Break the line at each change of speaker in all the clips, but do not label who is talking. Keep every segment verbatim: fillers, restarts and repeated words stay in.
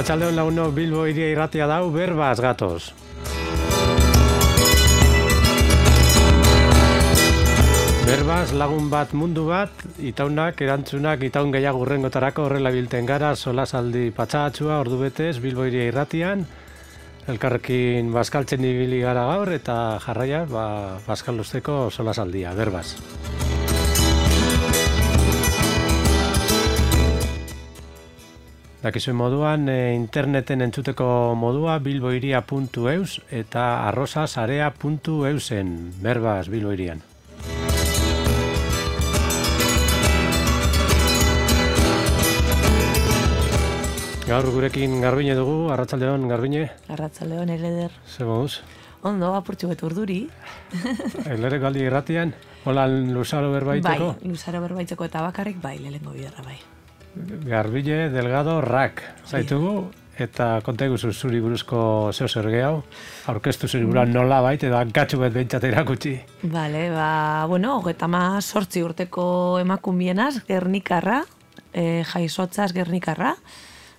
Arratsaldeon lagunok, Bilbo Hiria Irratia dau, berbaz gatoz. Berbaz lagun bat mundu bat, itaunak, erantzunak, itaun gehiago urrengotarako horrela bilten gara, solasaldi patxagatxua, ordu betez, Bilbo Hiria Irratian, elkarrekin bazkaltzen ibili gara gaur, eta jarraia, ba, bazkalusteko solasaldia, berbaz. Dakizuen moduan, e, interneten entzuteko modua bilbohiria puntu eus eta arrosasarea puntu eusen, berbaz Bilbo Hirian. Gaur gurekin Garbine dugu, arratsaldeon Garbine.
Arratsaldeon, Eleder.
Zer moduz?
Ondo, apurtxu bet urduri.
Elere galdi irratian, hola luzaro berbaiteko?
Bai, luzaro berbaiteko eta bakarrik bai, lehengo biderra bai.
Garbine Delgado Rak, zaitugu, eta konteguzu zuri buruzko zeo zer gehiago, aurkeztu zuri buruan nola bait, edo hankatxu bet behintzat erakutsi.
Bale, ba, bueno, hogeta ma sortzi urteko emakumienaz, Gernikarra, e, jaizotzaz Gernikarra,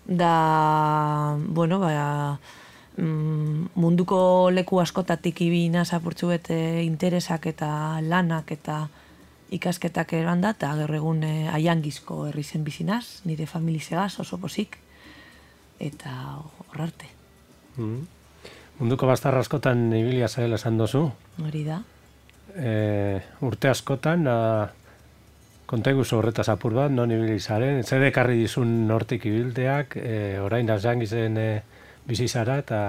da, bueno, ba, munduko leku askotatik ibinaz apurtxu bet interesak eta lanak eta ikasketak eran da, eta gaur egun aiangizko herri zen bizinaz, nire familizegaz oso posik, eta horrarte.
Mm. Munduko bastarra askotan ibilia zaila esan dozu.
Hori da.
E, urte askotan, a, konteguzu horretaz apur bat, non ibili zaren, zer ekarri dizun nortik ibilteak, e, orain aiangizen e, bizizara, eta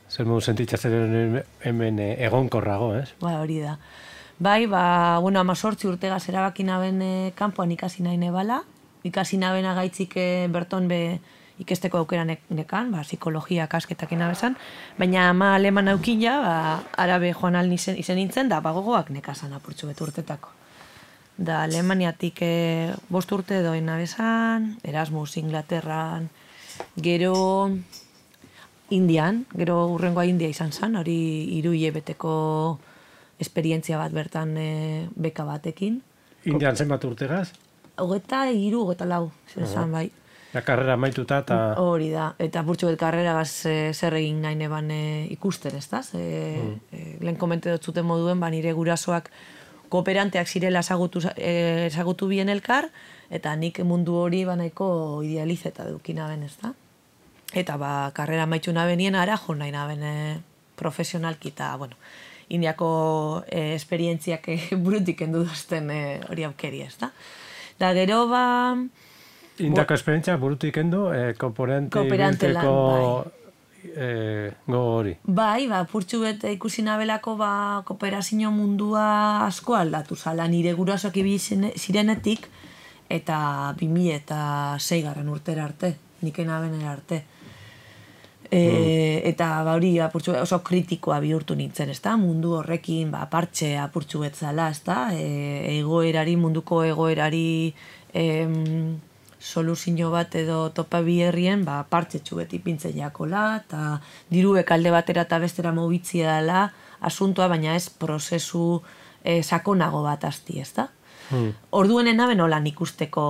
zer modu sentitzatzen hemen e, egonkorrago, ez?
Ba, hori da. Bai, ba, bueno, amazortzi urtegaz erabakin aben e, kanpoan ikasi nahi nebala. Ikasi naben agaitzik e, berton be ikesteko aukera nekan, ba, psikologia kasketak inabezan. Baina ama aleman aukila, ba, arabe joan alni izen, izen nintzen, da bagogoak nekazan apurtxu betu urtetako. Da, Alemaniatik e, bost urte doin nabezan, Erasmus, Inglaterran, gero Indian, gero urrengoa India izan zan, hori hiru hilabeteko esperientzia bat bertan e, beka batekin.
Indian zenbat urtegaz?
Hogeta hiru, hogeta lau, zen bai.
Ja, karrera maituta eta...
Hori da, eta apurtxo bet karrera gaz e, zer egin nahi neban e, ikusten, ez da? E, mm. e, lehen komente dut zuten moduen, ba, nire gurasoak kooperanteak zirela ezagutu, e, ezagutu bien elkar, eta nik mundu hori ba, nahiko idealizeta dukina ben, ez da? Eta ba, karrera maitu nabenien ara jo nahi naben e, profesionalki, eta, bueno, Indiako eh, esperientziak eh, burutik endu duzten eh, hori aukeri, ez da? Da, gero ba...
Indiako esperientzia burutik endu, eh, kooperante bilteko eh, gogo hori.
Bai, ba, purtsu bet ikusi nabelako ba, kooperazio mundua asko aldatu zala, nire gurasoak ibili zirenetik, eta bi mila eta sei garren urtera arte, niken abenera arte. E, mm. Eta ba, hori apurtxu, oso kritikoa bihurtu nintzen, ezta? Mundu horrekin ba, partxe apurtxu betzala, ezta? E, egoerari, munduko egoerari em, soluzio bat edo topa bi herrien ba, partxe txubet ipintzen jakola, eta diruek alde batera eta bestera mobitzia dela asuntoa, baina ez prozesu e, sakonago bat asti, ezta? Mm. Orduenen naben holan ikusteko,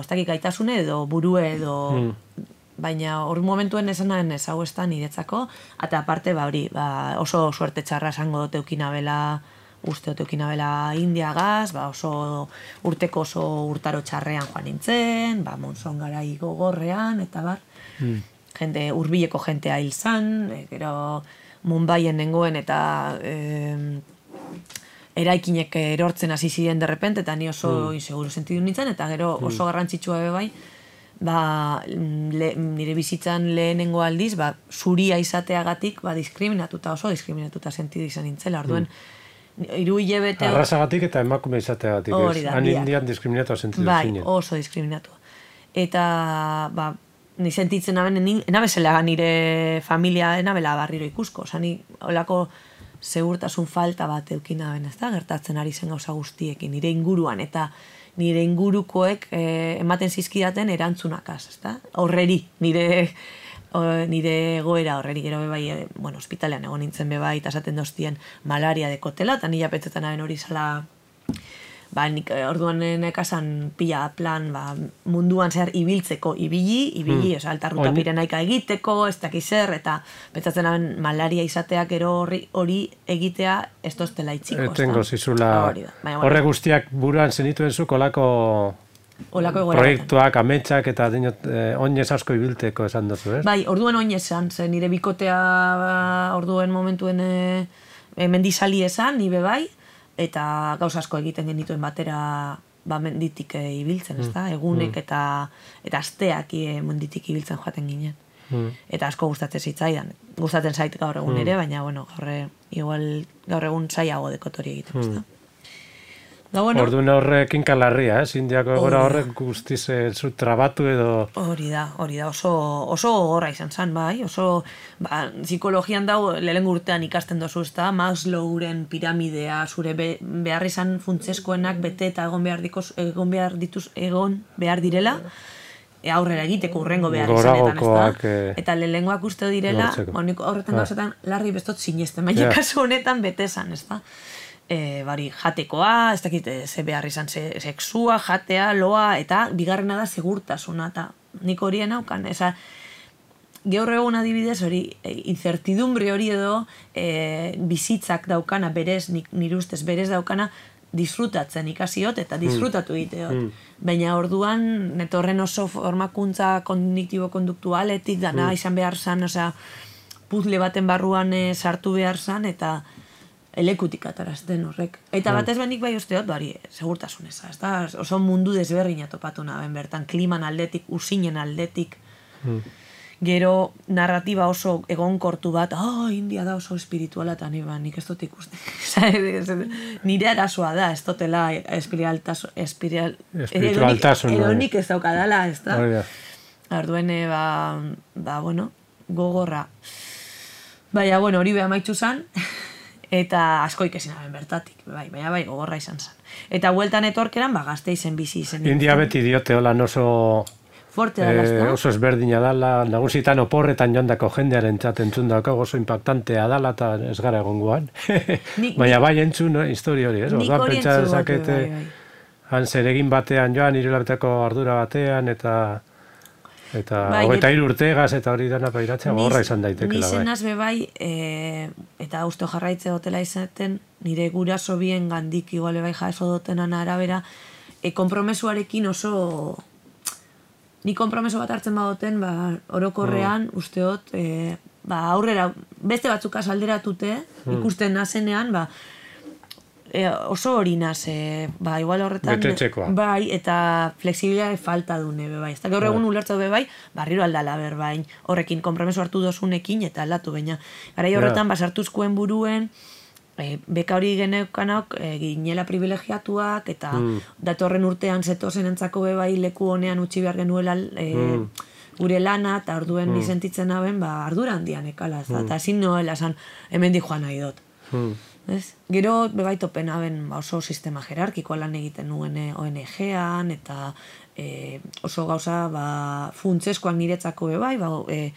ez dakik gaitasune edo burue edo... Mm. Baina hori momentuen esanen ez hau ez da niretzako, eta aparte ba, hori, ba, oso suerte txarra esango dut eukinabela, uste dut eukinabela Indiagaz, ba, oso urteko oso urtaro txarrean joan nintzen, ba, monzon garai gogorrean, eta bar, mm. jende, hurbileko jentea hil zan, e, gero Mumbaien nengoen eta e, eraikinek erortzen hasi ziren derrepente, eta ni oso mm. inseguro sentidu nintzen, eta gero oso garrantzitsua be bai, ba, le, nire bizitzan lehenengo aldiz, ba, zuria izateagatik ba, diskriminatuta, oso diskriminatuta sentidu izan nintzela. Orduen, mm. hiru hilabete...
Arrasagatik eta emakume izateagatik, ez? Han Indian diskriminatua sentidu
bai,
zinen.
Bai, oso diskriminatua. Eta, ba, ni sentitzen naben, enabezela nire familia, enabela barriro ikusko. Osa, ni olako segurtasun falta bat eukina ben, ez da? Gertatzen ari zen gauza guztiekin, nire inguruan, eta nire ingurukoek eh, ematen zizkidaten erantzunakaz, ezta? Horreri, nire, o, nire egoera horreri, gero bebai, e, bueno, ospitalean egon nintzen bebai, eta esaten doztien malaria dekotela, eta nila petzetan aben hori zala ba, nik orduan nekasan pila plan, ba, munduan zehar ibiltzeko, ibili, ibili, mm. oza, altarruta pirenaika egiteko, ez dakiz zer, eta betzatzen haben malaria izateak ero hori, hori egitea ez toztela itxiko.
Etengo zizula, horre guztiak buruan zenituen zu kolako proiektuak, ametsak eta dinot, eh, oinez asko ibilteko esan duzu, ez?
Bai, orduen oinez esan, zen nire bikotea ba, orduen momentuen e, mendizali esan, nire bai, eta gauza asko egiten genituen batera ba, menditik e, ibiltzen, ez da? Egunek mm. eta, eta asteak e, menditik ibiltzen joaten ginen. Mm. Eta asko gustatzen zitzaidan. Gustatzen zait gaur egun mm. ere, baina, bueno, gaur, igual, gaur egun zaiago dekotori egiten, mm. ez da? Da, bueno,
orduan horrek inkalarria, eh? Indiako egora horrek guztiz zu trabatu edo...
Hori da, hori da, oso, oso gogorra izan zen, bai, oso, ba, psikologian dago, lehen urtean ikasten dozu, ez da, Maslowren piramidea, zure be, behar izan funtseskoenak bete eta egon behar, dikoz, egon behar dituz, egon behar direla, e, aurrera egiteko urrengo behar izanetan, ez da? E... Eta lehengoak uste direla, honik horretan gauzetan, larri bestot sinesten, baina yeah. kasu honetan bete esan, ez da? E, bari, jatekoa, ez dakit, ze behar izan, ze, sexua, jatea, loa, eta bigarrena da segurtasuna, eta nik horien haukan, eza, gaur egun adibidez hori, e, incertidumbre hori edo, e, bizitzak daukana, berez, nire ustez, berez daukana, disfrutatzen ikasiot, eta disfrutatu egiteot. Mm. Baina orduan, netorren oso formakuntza kognitibo-konduktualetik, dana mm. izan behar zan, osea, puzle baten barruan e, sartu behar zan, eta elekutik atarazten horrek. Eta batez benik bai usteot, bari, segurtasuneza, ez da? Oso mundu desberdina topatu naben bertan, kliman aldetik, usinen aldetik, mm. gero narratiba oso egonkortu bat, oh, India da oso espirituala, eta ni, ba, nik ez dut ikusten. Nire arazoa da, ez dutela espiritualtasun, espiral,
espiritualtasun,
edo nik ez daukadala, ez da? Arduen, ba, ba, bueno, gogorra. Baina, bueno, hori beha maitxu zan, eta asko ikesin haben bertatik, bai, baina bai, gogorra izan zen. Eta hueltan etorkeran, ba, gazte izen bizi izen.
India beti diote, hola, oso...
Forte dala,
eh, oso ezberdina dala, nagusitan oporretan joandako jendearen txaten txundako oso impactantea dala, eta ez gara egongoan. Baina bai entzun, no? Historia hori, ez?
Nik hori entzun, bai, bai.
Han zeregin batean joan, irulabetako ardura batean, eta... Eta bai, hogeita hiru urtegaz eta hori dana pairatzea gorra izan daitekela.
Ni zenaz be bai, e, eta uste jarraitze dotela izaten, nire guraso bien gandik iguale bai jaso dotenan arabera, e, kompromesuarekin oso... Ni kompromeso bat hartzen badoten, ba, orokorrean, mm. usteot, e, ba, aurrera, beste batzukaz alderatute, mm. ikusten nazenean, ba, E, oso hori naz, e, ba, igual horretan...
Betetxekoa.
Bai, eta flexibilitate falta dune, be bai. Ez da gaur egun ulertza be bai, barriro aldala ber bain, horrekin kompromeso hartu dozunekin eta aldatu baina. Garai horretan, basartuzkoen buruen, e, beka hori geneukanok, e, ginela privilegiatuak, eta mm. datorren urtean zetozen entzako be bai leku honean utzi behar genuela e, mm. gure lana, eta orduen mm. nizentitzen haben, ba, ardura handian ekala, mm. eta ezin noela esan, hemen di joan nahi dut. Mm. Ez? Gero bebai topen haben oso sistema jerarkikoa lan egiten nuen O N G-an eta e, oso gauza ba, funtseskoak niretzako bebai, ba, e,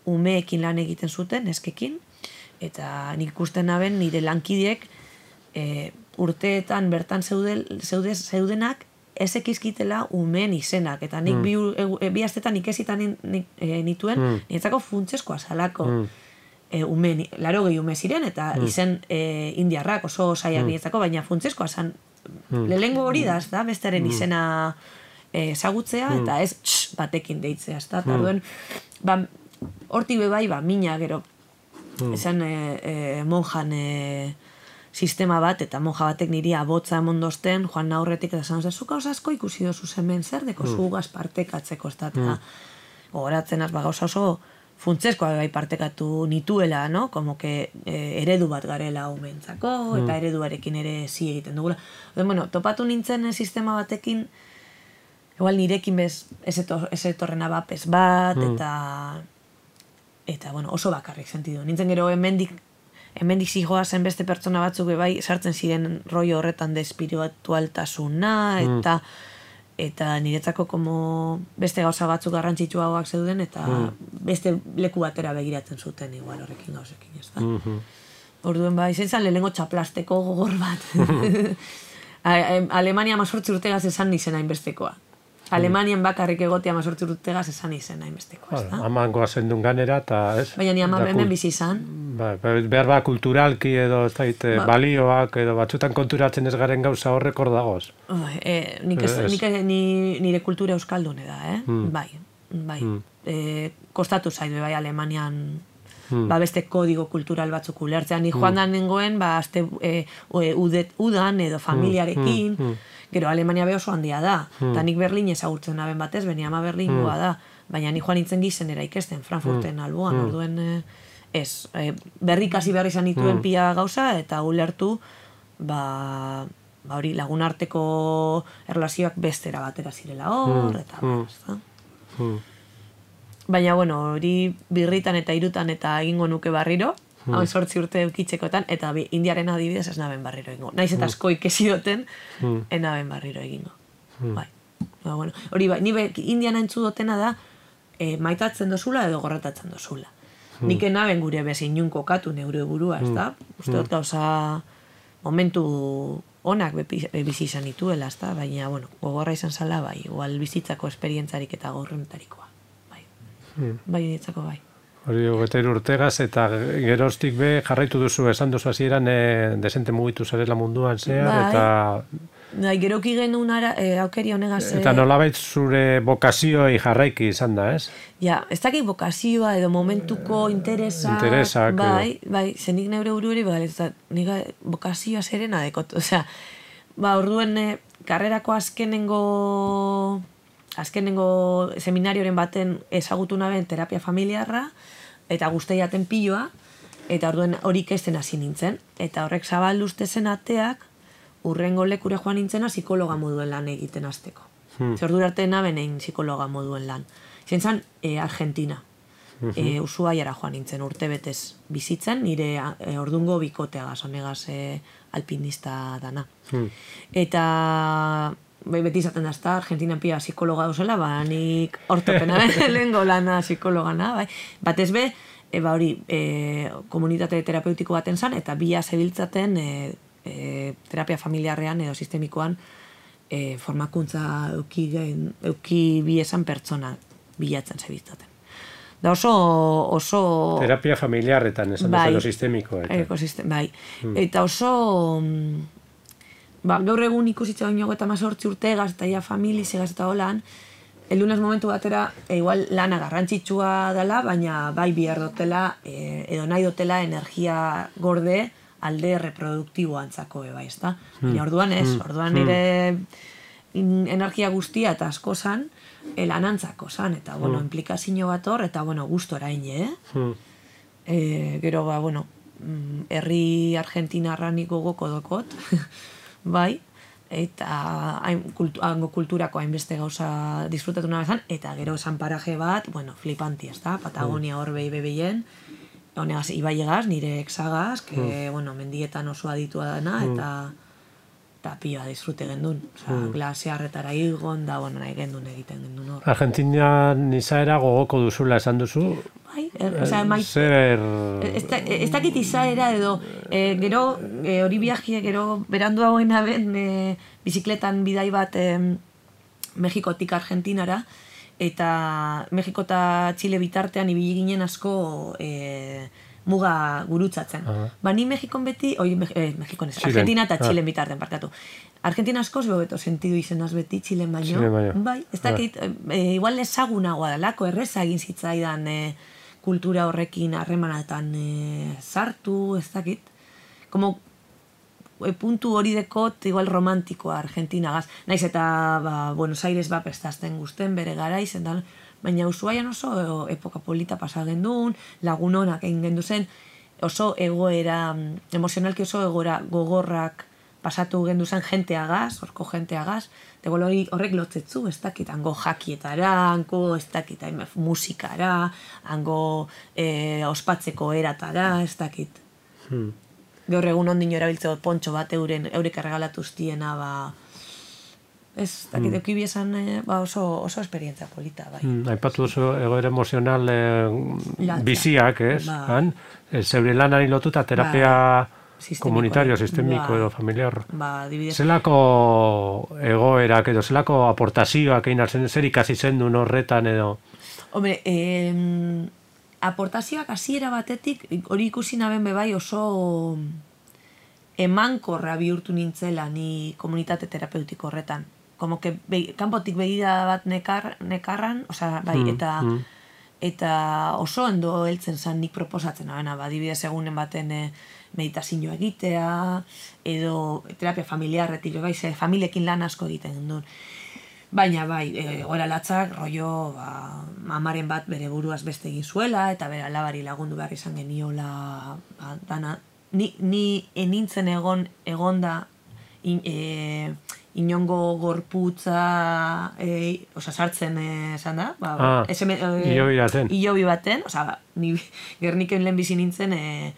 umeekin lan egiten zuten, eskekin, eta nik ikusten haben nire lankideek e, urteetan bertan zeudel, zeude, zeudenak ez ekizkitela umeen izenak, eta nik mm. bi, e, bi astetan ikesitan e, nituen mm. niretzako funtseskoa zalako. Mm. E, ume, laro gehi ume ziren, eta mm. izen e, indiarrak oso saiak mm. niretzako, baina funtseskoa zan, mm. lehengo hori da, ez da, bestaren mm. izena ezagutzea, mm. eta ez tx, batekin deitzea, ez da, eta mm. duen, ba, horti bebai, ba, mina gero, mm. esan e, e, monjan e, sistema bat, eta monja batek niri abotza emondozten, joan aurretik, eta zan, zuka osasko ikusi dozu hemen zer deko mm. zugaz partekatzeko, ez da, eta mm. gogoratzen az, ba, gauza oso, funtseskoa bai partekatu nituela, no? Como que eh, eredu bat garela umentzako, mm. eta ereduarekin ere zi egiten dugula. Oden, bueno, topatu nintzen sistema batekin, igual nirekin bez, ez etorren abapez bat, mm. eta, eta, bueno, oso bakarrik sentidu. Nintzen gero hemendik, hemendik zijoa zen beste pertsona batzuk bai sartzen ziren rollo horretan de espiritualtasuna, eta... Mm. eta niretzako como beste gauza batzuk garrantzitsuagoak zeuden, eta mm. beste leku batera begiratzen zuten igual horrekin gauzekin, ez da? Mm-hmm. Orduen ba, izan zan lehenengo txaplasteko gogor bat. Alemania amazortzi urtegaz esan izen hainbestekoa. Alemanian bakarrik egotea amazortzi urtegaz esan izen hainbestekoa, ez da?
Aman goazen duen ganera, eta ez?
Baina ni ama hemen bizi izan.
Behar ba, kulturalki edo, ez dait, balioak edo batzutan konturatzen ez garen gauza horrek hor dagoz.
Nire kultura euskaldune da, eh? Bai, bai. Kostatu zaidu, bai, Alemanian ba beste kodigo kultural batzuk ulertzean. Ni joan da nengoen, ba, azte udan edo familiarekin, gero Alemania be oso handia da, eta nik Berlin ezagurtzen naben batez, beni ama Berlingoa da, baina ni joan nintzen gizenera ikesten, Frankfurten alboan, orduen ez, berrikasi behar izan dituen pia gauza, eta ulertu, ba, hori lagunarteko erlazioak bestera batera zirela hor, eta ba, baina, bueno, hori birritan eta irutan eta egingo nuke barriro, hau sortzi urte eukitzekotan, eta indiaren adibidez ez naben barriro egingo. Naiz eta asko ikesi duten, enaben barriro egingo. Bai. Bueno, hori bai, ni indian entzu dutena da, maitatzen dozula edo gorratatzen dozula. Nik enaben gure bezin inun kokatu neure burua, ez da? Uste dut gauza momentu onak bizi izan dituela, ez da? Baina, bueno, gogorra izan zala, bai, igual bizitzako esperientzarik eta gorrentarikoa. Bai, ditzako bai.
Hori hogeita urtegaz eta geroztik be jarraitu duzu, esan duzu hasieran desente mugitu zarela munduan zehar, eta...
Bai, geroki genuen aukeri honegaz...
Eta nolabait zure bokazioei jarraiki izan da, ez?
Ja, ez dakik bokazioa edo momentuko interesak...
Interesak,
bai, bai, zenik neure buruari, bai, eta nik bokazioa zerena dekot, osea, ba, orduen karrerako azkenengo... azkenengo seminarioren baten ezagutu naben terapia familiarra, eta guzti jaten piloa, eta orduen hori ikesten hasi nintzen. Eta horrek zabaldu zen ateak, urrengo lekure joan nintzena psikologa moduen lan egiten hasteko. Hmm. Zer ordura arte naben egin psikologa moduen lan. Zen zan, e, Argentina. E, Ushuaiara joan nintzen urte betez bizitzen, nire e, ordungo bikoteagaz, honegaz e, alpinista dana. Hmm. Eta... Bai, beti izaten da, ezta, Argentinan pia psikologa duzela, ba, nik ortopena lehengo lana psikologana, bai. Batez be, e, ba, hori, e, komunitate terapeutiko baten zan, eta bia zebiltzaten e, e, terapia familiarrean edo sistemikoan e, formakuntza euki, euki biesan pertsona bilatzen zebiltzaten. Da oso... oso...
Terapia familiarretan, esan bai, duzelo sistemiko. Eta.
Ekosistem, bai. Hmm. Eta oso... Ba, gaur egun ikusitza oinago eta mazortzi urtegaz eta ja familiz egaz eta holan, eldunez momentu batera, e, igual lana garrantzitsua dela, baina bai bihar dotela, e, edo nahi dotela energia gorde alde reproduktibo antzako eba, ez da? Baina orduan ez, orduan nire energia guztia eta asko zan, e, lanantzako zan, eta, bueno, implikazio bat hor, eta, bueno, gustora ine, eh? E, gero, ba, bueno, herri Argentinarra nik gogoko dokot, bai, eta hango kulturako hainbeste gauza disfrutatu nabezan, eta gero esan paraje bat, bueno, flipanti, ez da, Patagonia hor behi bebeien, honegaz, ibai egaz, nire exagaz, que, bueno, mendietan oso aditua dana, eta eta pioa disfrute gendun, oza, glasearretara igon, da, bueno, nahi gendun egiten gendun hor.
Argentina izaera gogoko duzula esan duzu?
Bai, er, oza, maite...
Zer...
Ez dakit izaera edo, e, gero, e, hori viajie, gero, berandu hauen aben, e, bizikletan bidai bat e, Mexikotik Argentinara, eta Mexiko eta Txile bitartean ibili ginen asko e, muga gurutzatzen. Uh-huh. Ba, ni Mexikon beti, oi, eh, Mexikon ez, Argentina eta Txilen bitarten, parkatu. Argentina askoz bebeto sentidu izenaz beti, Txilen baino.
Txilen baino.
Bai, ez dakit, e, igual ezagunagoa dalako, erreza egin zitzaidan e, kultura horrekin harremanatan e, sartu, ez dakit. Como e, puntu hori dekot, igual romantikoa Argentinagaz. Naiz eta ba, Buenos Aires ba prestazten guzten bere gara izen da, baina Ushuaian oso epoka polita pasa gendun, lagun honak egin gendu zen, oso egoera, emozionalki oso egoera gogorrak pasatu gendu zen jenteagaz, horko jenteagaz, de horrek lotzetzu, ez dakit, hango jakietara, hango, ez dakit, musikara, hango e, ospatzeko eratara, ez dakit. Hmm. Gaur egun ondino erabiltzeo pontxo bat euren, eurek erregalatuztiena, ba, ez, dakit, mm. eki biesan ba, oso, oso esperientzia polita, bai.
Mm, aipatu oso egoera emozional eh, biziak, ez? Ba. Han, zeure lanari lotuta terapia... Ba. komunitario, sistemiko
ba,
edo familiar.
Ba, adibidez.
Zelako egoerak edo, zelako aportazioak egin arzen, zer ikasi zen duen horretan edo?
Hombre, eh, aportazioak hasiera batetik, hori ikusi naben bebai oso emankorra bihurtu nintzela ni komunitate terapeutiko horretan. Como que be, kanpotik begira bat nekar, nekarran, osea, bai, mm, eta... Mm. Eta oso ondo heltzen zan nik proposatzen abena, ba, adibidez egunen baten e, meditazioa egitea, edo terapia familiarretik, bai, ze familiekin lan asko egiten duen. Baina bai, egoera latzak, rollo, ba, amaren bat bere buruaz beste egin zuela, eta bere alabari lagundu behar izan geniola, ba, dana, ni, ni enintzen egon, egonda, in, e, inongo gorputza, e, oza, sartzen esan da, ba,
ah,
eseme, e,
ilobi baten.
Ilobi baten, oza, ni Gerniken lehen bizi nintzen, e,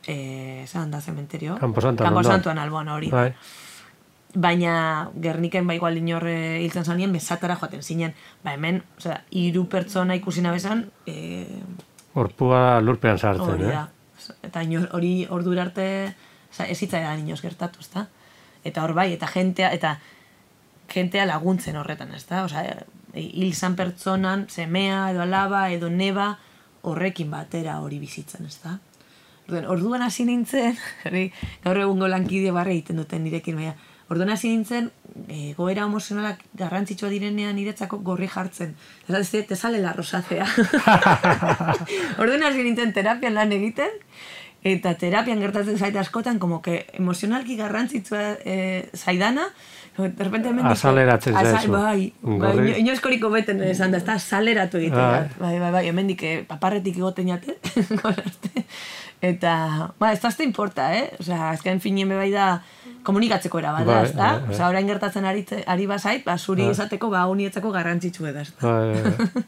e, esan da zementerio.
Kamposantuan.
Kamposantuan alboan hori. Bai. Baina Gerniken ba igual inorre hiltzen zanien, besatara joaten zinen. Ba hemen, oza, hiru pertsona ikusi nabezan, e,
Gorpua lurpean sartzen,
hori
eh?
Da. Eta inor, hori ordura arte, oza, ez hitzaidan inoz gertatu, ezta? Eta hor bai, eta jentea, eta jentea laguntzen horretan, ezta? Osea, hil zan pertsonan, semea, edo alaba, edo neba, horrekin batera hori bizitzen, ezta? Orduan hasi nintzen, gaur egungo lankide barre egiten duten nirekin, baina, orduan hasi nintzen, e, goera emozionalak garrantzitsua direnean niretzako gorri jartzen. Ez da, te sale la rosacea. Orduan hasi nintzen terapian lan egiten, eta terapian gertatzen zaite askotan, como que emozionalki garrantzitsua e, zaidana, de repente hemen...
Azaleratzen zaizu.
Bai, bai, inoizkoriko beten esan da, ez da, azaleratu egiten. Bai, bai, bai, hemen dik paparretik egoten jate, eta, ba, ez da azte importa, eh? Osea, azken finien bebai da, komunikatzeko era bada, ez da? Osea, orain gertatzen ari, ari bazait, ba, zuri esateko, ba, unietzako garrantzitsu eda, ez da?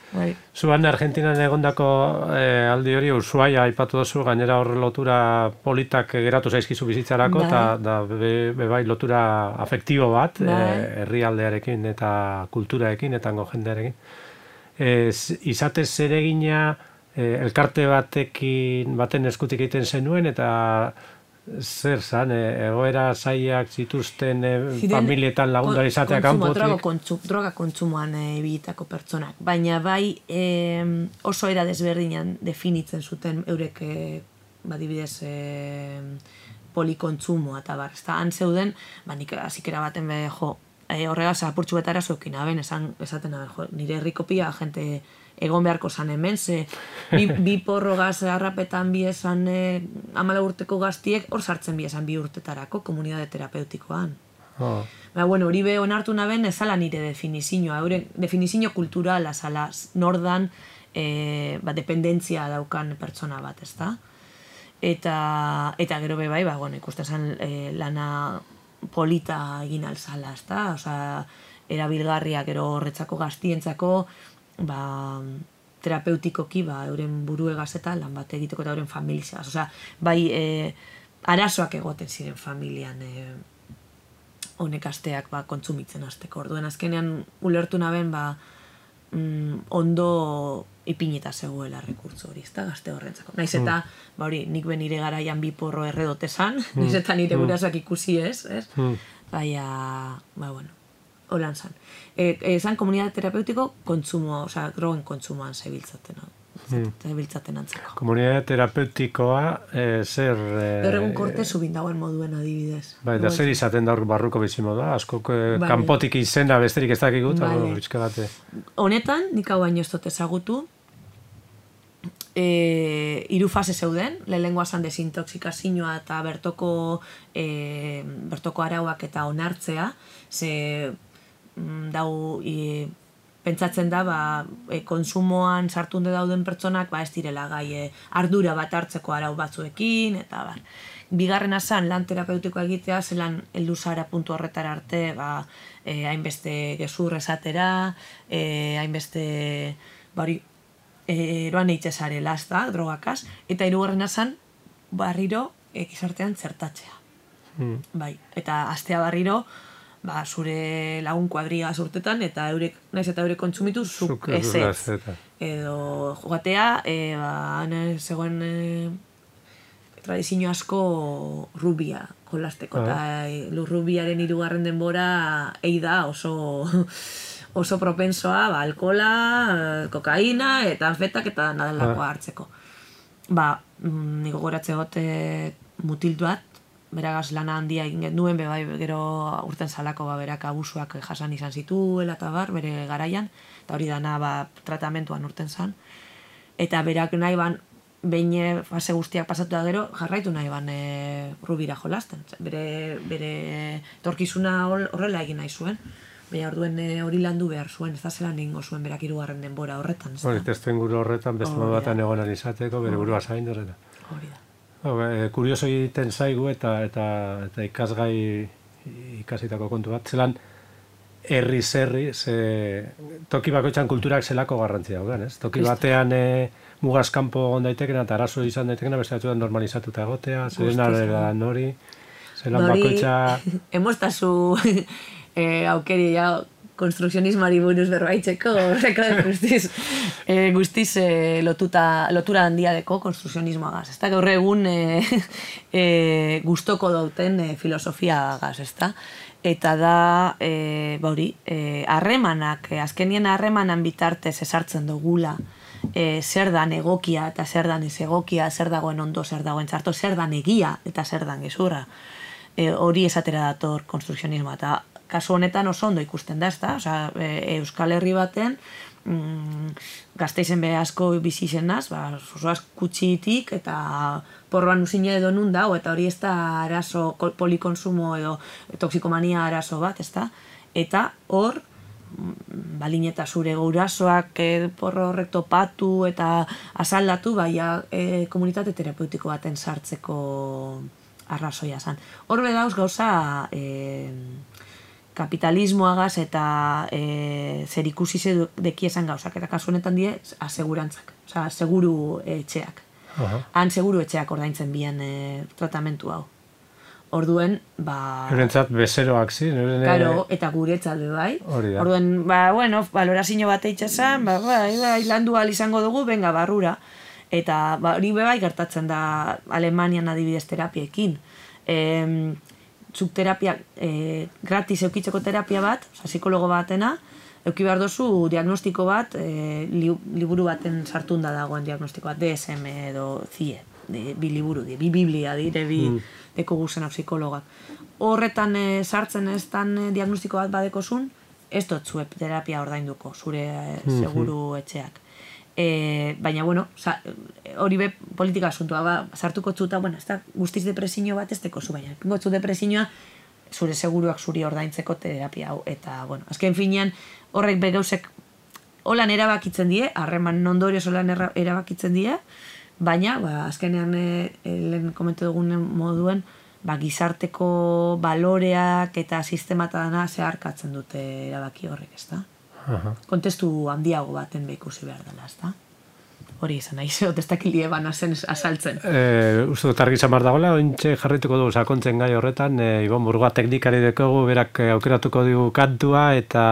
Bai. Zuan Argentinan egondako eh, aldi hori Ushuaia aipatu duzu, gainera horre lotura politak geratu zaizkizu bizitzarako, eta da, be, be bai lotura afektibo bat, eh, herrialdearekin eta kulturaekin eta jendearekin. Eh, izatez zeregina eh, elkarte batekin baten eskutik egiten zenuen, eta zer zan, egoera zaiak zituzten familietan lagundar izatea kanpotik?
Droga, kontsu, droga kontsumoan ebilitako pertsonak, baina bai e, oso era desberdinan definitzen zuten eurek e, badibidez e, polikontsumoa eta bar, ez da, han zeuden, ba, nik azikera baten be, jo, e, horregaz apurtxu betara zuekin, aben, esan, esaten, aben, jo, nire herrikopia, jente egon beharko zan hemen, ze bi, bi porro gaz harrapetan bi esan e, amala urteko gaztiek hor sartzen bi esan bi urtetarako komunidade terapeutikoan. Oh. Ba, bueno, hori be onartu naben ezala nire definizioa, eure definizio kulturala zala nordan e, ba, dependentzia daukan pertsona bat, ezta? Eta, eta gero be bai, ba, bueno, ikusten zen e, lana polita egin alzala, ezta? Osea, erabilgarria gero horretzako gaztientzako, ba, terapeutikoki, ba, euren buruegaz eta lan bat egiteko eta euren familizaz. Osea, bai, e, arazoak egoten ziren familian e, honek asteak ba, kontsumitzen azteko. Orduen azkenean ulertu naben, ba, mm, ondo ipinita zegoela rekurtso hori, ez da, gazte horrentzako. Naiz eta, mm. ba hori, nik ben nire garaian bi porro erredote zan, mm. naiz eta nire gurasoak ikusi ez, ez? Mm. Baina, ba, bueno, holan zan. E, e, zan komunidade terapeutiko kontsumo, osea, drogen kontsumoan zebiltzaten, no? Zebiltzaten antzako.
Komunidade terapeutikoa, e, zer... E,
Gaur egun kortezu bindagoen moduen adibidez.
Bai, da zer izaten da barruko bizimodua, asko kanpotik izena besterik ez dakik gut, bitxke bate.
Honetan, nik hau baino ez dut ezagutu, E, hiru fase zeuden, lehenengoa zan desintoxikazioa eta bertoko, e, bertoko arauak eta onartzea, ze mm, dau, e, pentsatzen da, ba, e, konsumoan sartunde dauden pertsonak ba, ez direla gai e, ardura bat hartzeko arau batzuekin, eta bar. Bigarrena zan, lan terapeutikoa egitea, zelan heldu zara puntu horretara arte, ba, e, hainbeste gezur esatera, e, hainbeste, bari, eroan eitxe zare lasta, drogakaz, eta hirugarrena zan, barriro egizartean zertatzea. Mm. Bai, eta astea barriro, ba, zure lagun kuadria urtetan, eta eurek, naiz eta eurek kontsumitu, zuk ezetz. Edo jogatea, e, ba, zegoen e, tradizio asko rubia jolasteko, eta ah. rubiaren hirugarren denbora ei da oso oso propensoa, ba, alkola, kokaina, eta anfetak eta nadelakoa ah. hartzeko. Ba, niko goratze gote mutiltu bat, beragaz lana handia egin duen, be bai, gero urten zalako ba, berak abusuak jasan izan zituela eta bar, bere garaian, eta hori dana ba, tratamentuan urten zan. Eta berak nahi ban, behin fase guztiak pasatu da gero, jarraitu nahi ban e, rubira jolasten. Bere, bere torkizuna horrela egin nahi zuen. Baina orduen hori landu behar zuen, ez da zelan egingo zuen berak hirugarren denbora horretan.
Hori, testu inguru horretan, beste modu batan egonan izateko, bere burua zaindu horretan.
Hori da.
Kurioso egiten zaigu eta, eta, eta ikasgai ikasitako kontu bat, zelan herri zerri, ze, toki bakoitzan kulturak zelako garrantzia daugan, ez? Toki batean e, mugazkampo egon daitekena eta arazo izan daitekena, beste batzuetan normalizatuta egotea, zeren arelan hori, zelan bakoitza...
Emostazu e, aukeri ja konstrukzionismari buruz berbaitzeko, horreko guztiz, e, guztiz e, lotuta, lotura handia deko konstrukzionismoagaz, ez da? Gaur egun e, e, gustoko dauten e, filosofia agaz, ez da? Eta da, e, bauri, harremanak, e, azkenien harremanan bitartez esartzen dugula, e, zer dan egokia eta zer dan ez egokia, zer dagoen ondo, zer dagoen txarto, zer dan egia eta zer dan gezurra. E, hori esatera dator konstrukzionismoa, eta kasu honetan oso ondo ikusten da, ez da? Osea, e, Euskal Herri baten, mm, Gasteizen be asko bizi zenaz, ba, oso kutxitik eta porroan usine edo nun dago, eta hori ez da arazo polikonsumo edo toxikomania arazo bat, ez da? Eta hor, balin eta zure gurasoak e, porro horrek topatu eta asaldatu, baina e, komunitate terapeutiko baten sartzeko arrazoia zan. Hor bedauz gauza... E, kapitalismoagaz eta e, zer ikusi deki esan gauzak, eta kasu honetan die asegurantzak, oza, seguru etxeak. Uh-huh. Han seguru etxeak ordaintzen bien e, tratamentu hau. Orduen, ba...
Eurentzat bezeroak zi,
euren... Karo, eta guretzat be bai. Orduen, ba, bueno, balorazio bat eitxesan, ba, bai, bai, landu ahal izango dugu, benga, barrura. Eta, ba, hori be bai gertatzen da Alemanian adibidez terapiekin. Ehm... zuk terapia, e, gratis eukitzeko terapia bat, oza, psikologo batena, euki behar dozu diagnostiko bat, e, li, liburu baten sartunda dagoen diagnostiko bat, D S M edo C I E, de, bi liburu, de, bi biblia dire, bi mm. deko guzena psikologak. Horretan e, sartzen ez tan e, diagnostiko bat badekozun, ez dut zuep terapia ordainduko, zure e, seguru etxeak. E, baina, bueno, hori be politika asuntua, ba, sartuko txuta, bueno, ez da guztiz depresio bat ez teko zu, baina gotzu depresioa zure seguruak zuri ordaintzeko terapia hau, eta, bueno, azken finean horrek begauzek holan erabakitzen die, harreman ondorioz holan erabakitzen die, baina, ba, azkenean e, lehen komentu dugun moduen, ba, gizarteko baloreak eta sistematadana zeharkatzen dute erabaki horrek, ez da? Uh-huh. Kontestu handiago baten behikusi behar dela, ez da? Hori izan, nahi zeot ez dakilie bana zen asaltzen.
E, uste dut argi zamar dagoela, ointxe jarrituko dugu sakontzen gai horretan, e, Ibon Burgoa teknikari dekogu, berak aukeratuko dugu kantua eta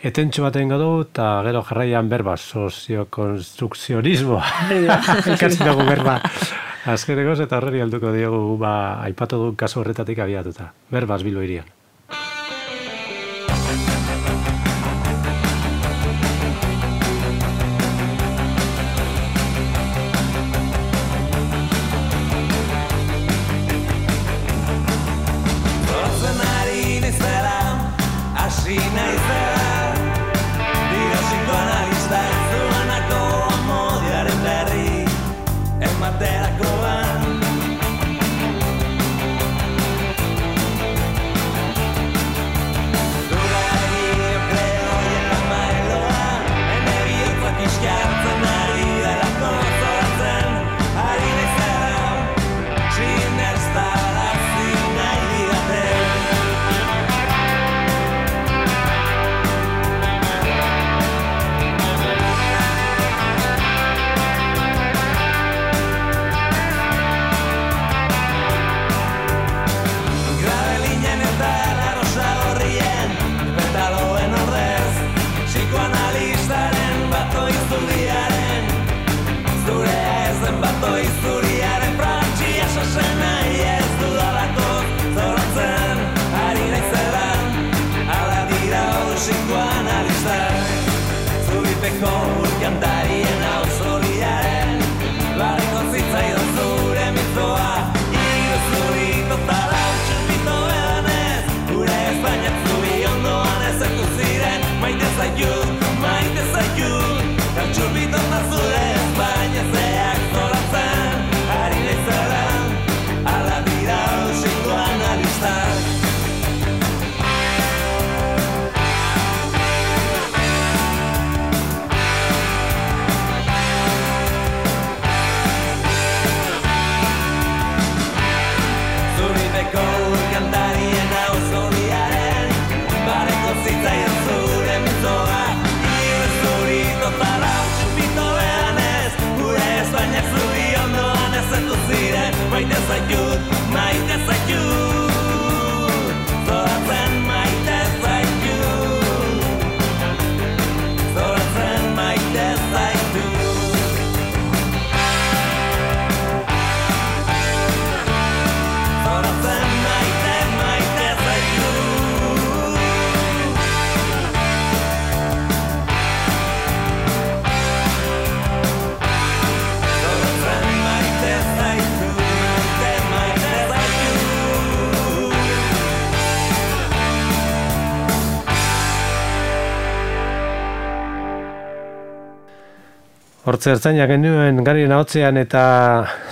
etentxo bat egingo dugu, eta gero jarraian berba, soziokonstrukzionismoa. Ikatzen dugu berba. Azkenekoz eta horreri alduko diogu, ba, aipatu dugu kasu horretatik abiatuta. Berbaz Bilbo hirian. Hortze ertzainak genuen garien ahotzean eta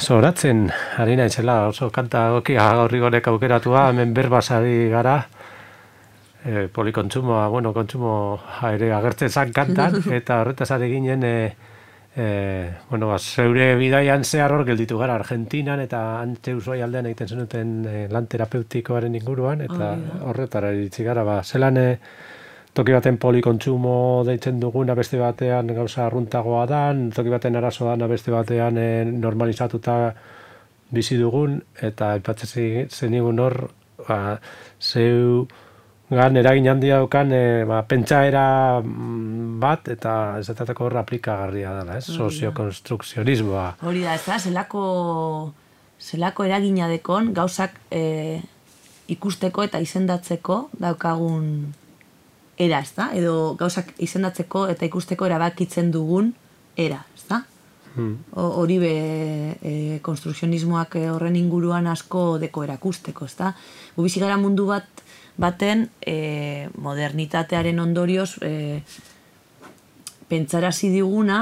zoratzen, ari naizela, oso kanta goki gaurrigonek aukeratua, hemen berbasari gara, e, polikontsumoa, bueno, kontsumo ere agertzen zan kantan, eta horretaz ari ginen, e, e, bueno, ba, zeure bidaian zehar hor gelditu gara Argentinan, eta antxe usoi aldean egiten zenuten e, lan terapeutikoaren inguruan, eta oh, horretara iritsi gara, ba, zelan e, toki baten polikontsumo deitzen duguna beste batean gauza arruntagoa dan, toki baten arazoa dana beste batean e, normalizatuta bizi dugun, eta aipatzen zenigun hor, ba, zeu gan eragin handia daukan e, ba, pentsaera bat, eta ez datateko hor aplikagarria dela, ez? Soziokonstrukzionismoa.
Hori da, ez da, zelako, zelako eragina dekon gauzak e, ikusteko eta izendatzeko daukagun era, ez da? Edo gauzak izendatzeko eta ikusteko erabakitzen dugun era, ez da? Hmm. Hori be e, konstrukzionismoak horren inguruan asko deko erakusteko, ez da? Gu bizi gara mundu bat baten e, modernitatearen ondorioz e, pentsarazi diguna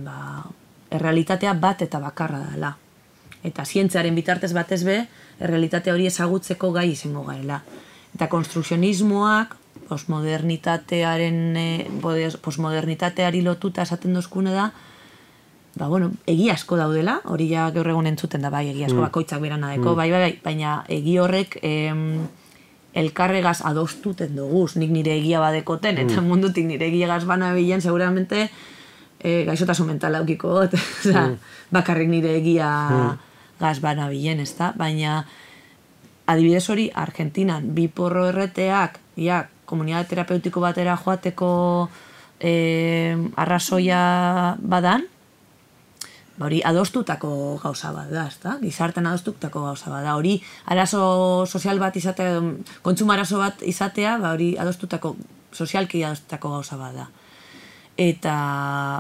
ba, errealitatea bat eta bakarra dela. Eta zientziaren bitartez batez be, errealitate hori ezagutzeko gai izango garela. Eta konstrukzionismoak postmodernitatearen postmodernitateari lotuta esaten dozkune da, ba, bueno, egia asko daudela, hori ja gaur egun entzuten da, bai, egia asko bakoitzak berana deko, bai, bai, bai, baina egi horrek em, elkarregaz adostuten doguz, nik nire egia badekoten, eta mundutik nire egiagaz bana bilen, seguramente e, gaixotasun mental aukiko got, bakarrik nire egia gaz bana bilen, ez da, baina adibidez hori, Argentinan, bi porro erreteak, ja, komunitate terapeutiko batera joateko eh, arrazoia badan, ba hori adostutako gauza bat da, ezta? Gizartean adostutako gauza bat da. Hori arazo sozial bat izatea, kontsumo arazo bat izatea, ba hori adostutako, sozialki adostutako gauza bat da. Eta,